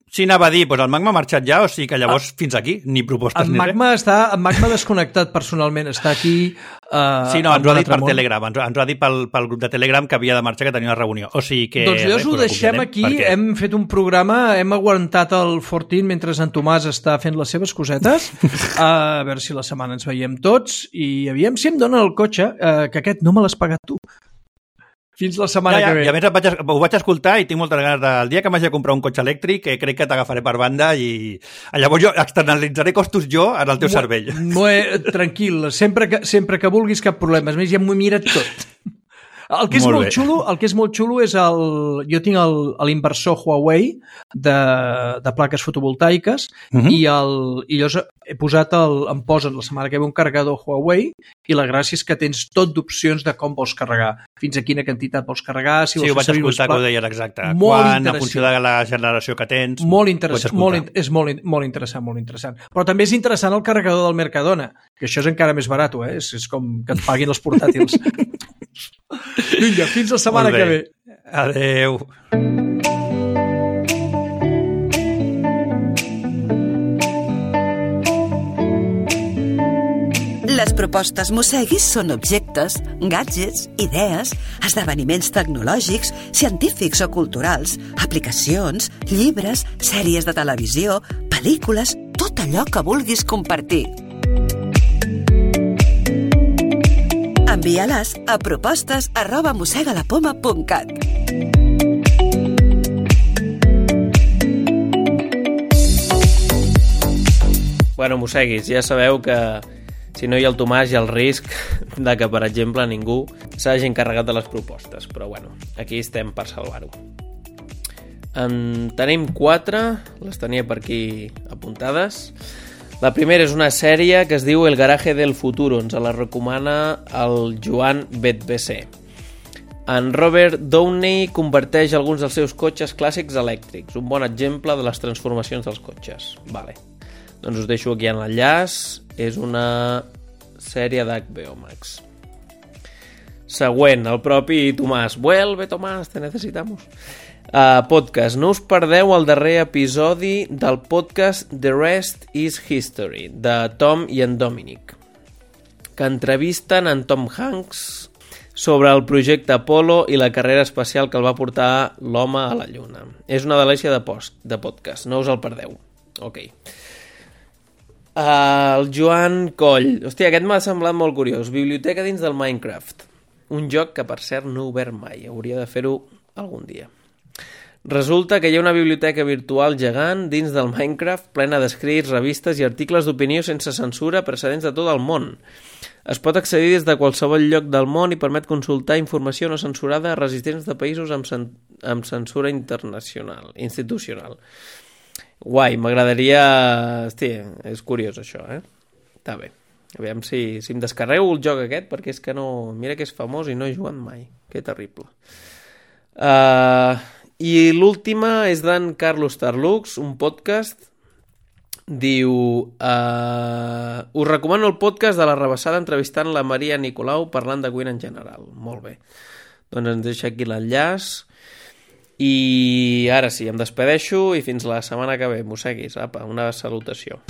Sí, anava a dir, doncs el Magma ha marxat ja, o sigui que llavors ah, fins aquí, ni propostes en ni Magma res. Està, en Magma desconnectat personalment, està aquí... Uh, sí, no, ens ho ha dit per món. Telegram, ens, ens ho ha dit pel, pel grup de Telegram que havia de marxar, que tenia una reunió. O sigui que... Doncs llavors ho deixem aquí, perquè... hem fet un programa, hem aguantat el Fortin mentre en Tomàs està fent les seves cosetes, a veure si la setmana ens veiem tots, i aviam si em dona el cotxe, uh, que aquest no me l'has pagat tu. Fins la setmana ja, ja, que ve. I a més vaig, ho vaig escoltar i tinc moltes ganes del dia que m'hagi de comprar un cotxe elèctric, que crec que t'agafaré per banda i llavors jo externalitzaré costos jo en el teu Mo, cervell. Molt tranquil, sempre que, sempre que vulguis cap problema. A més, ja m'ho he mirat tot. El que és molt, molt xulo, el que és molt xulo és el... Jo tinc l'inversor Huawei de, de plaques fotovoltaiques uh-huh. i, el, i llavors he posat el, em posen la setmana que ve un carregador Huawei i la gràcia és que tens tot d'opcions de com vols carregar, fins a quina quantitat vols carregar, si vols sí, ho vaig escoltar que ho deies exacte, molt quan, a funció de la generació que tens. Molt interessant, molt, és molt, molt interessant, molt interessant. Però també és interessant el carregador del Mercadona, que això és encara més barat, eh? És, és com que et paguin els portàtils. Vinga, fins la setmana que ve. Adeu. Les propostes Mosseguis són objectes, gadgets, idees, esdeveniments tecnològics, científics o culturals, aplicacions, llibres, sèries de televisió, pel·lícules, tot allò que vulguis compartir. Envia-les a propostes arroba mossegalapoma punt cat. Bueno, mosseguis, ja sabeu que si no hi ha el Tomàs hi ha el risc de que, per exemple, ningú s'hagi encarregat de les propostes. Però, bueno, aquí estem per salvar-ho. En tenim quatre, les tenia per aquí apuntades. La primera és una sèrie que es diu El garaje del futuro, ens la recomana el Joan Betbc. En Robert Downey converteix alguns dels seus cotxes clàssics elèctrics, un bon exemple de les transformacions dels cotxes. Vale. Doncs us deixo aquí en l'enllaç, és una sèrie d'H B O Max. Següent, el propi Tomàs. Vuelve, Tomàs, te necesitamos. Uh, podcast. No us perdeu el darrer episodi del podcast The Rest is History, de Tom i en Dominic, que entrevisten en Tom Hanks sobre el projecte Apollo i la carrera espacial que el va portar l'home a la Lluna. És una delícia de, post, de podcast, no us el perdeu. Ok. Uh, el Joan Coll. Hòstia, aquest m'ha semblat molt curiós. Biblioteca dins del Minecraft. Un joc que, per cert, no he obert mai. Hauria de fer-ho algun dia. Resulta que hi ha una biblioteca virtual gegant dins del Minecraft plena d'escrits, revistes i articles d'opinió sense censura procedents de tot el món. Es pot accedir des de qualsevol lloc del món i permet consultar informació no censurada a residents de països amb, cen amb censura internacional, institucional. Guai, m'agradaria... Hosti, és curiós això, eh? Està bé. Aviam si, si em descarrego el joc aquest, perquè és que no... Mira que és famós i no he jugat mai. Que terrible. Uh, I l'última és d'en Carlos Tarlux, un podcast. Diu... Uh, us recomano el podcast de La Rebassada entrevistant la Maria Nicolau parlant de cuina en general. Molt bé. Doncs ens deixa aquí l'enllaç. I ara sí, em despedeixo i fins la setmana que ve. Mosseguis, apa, una salutació.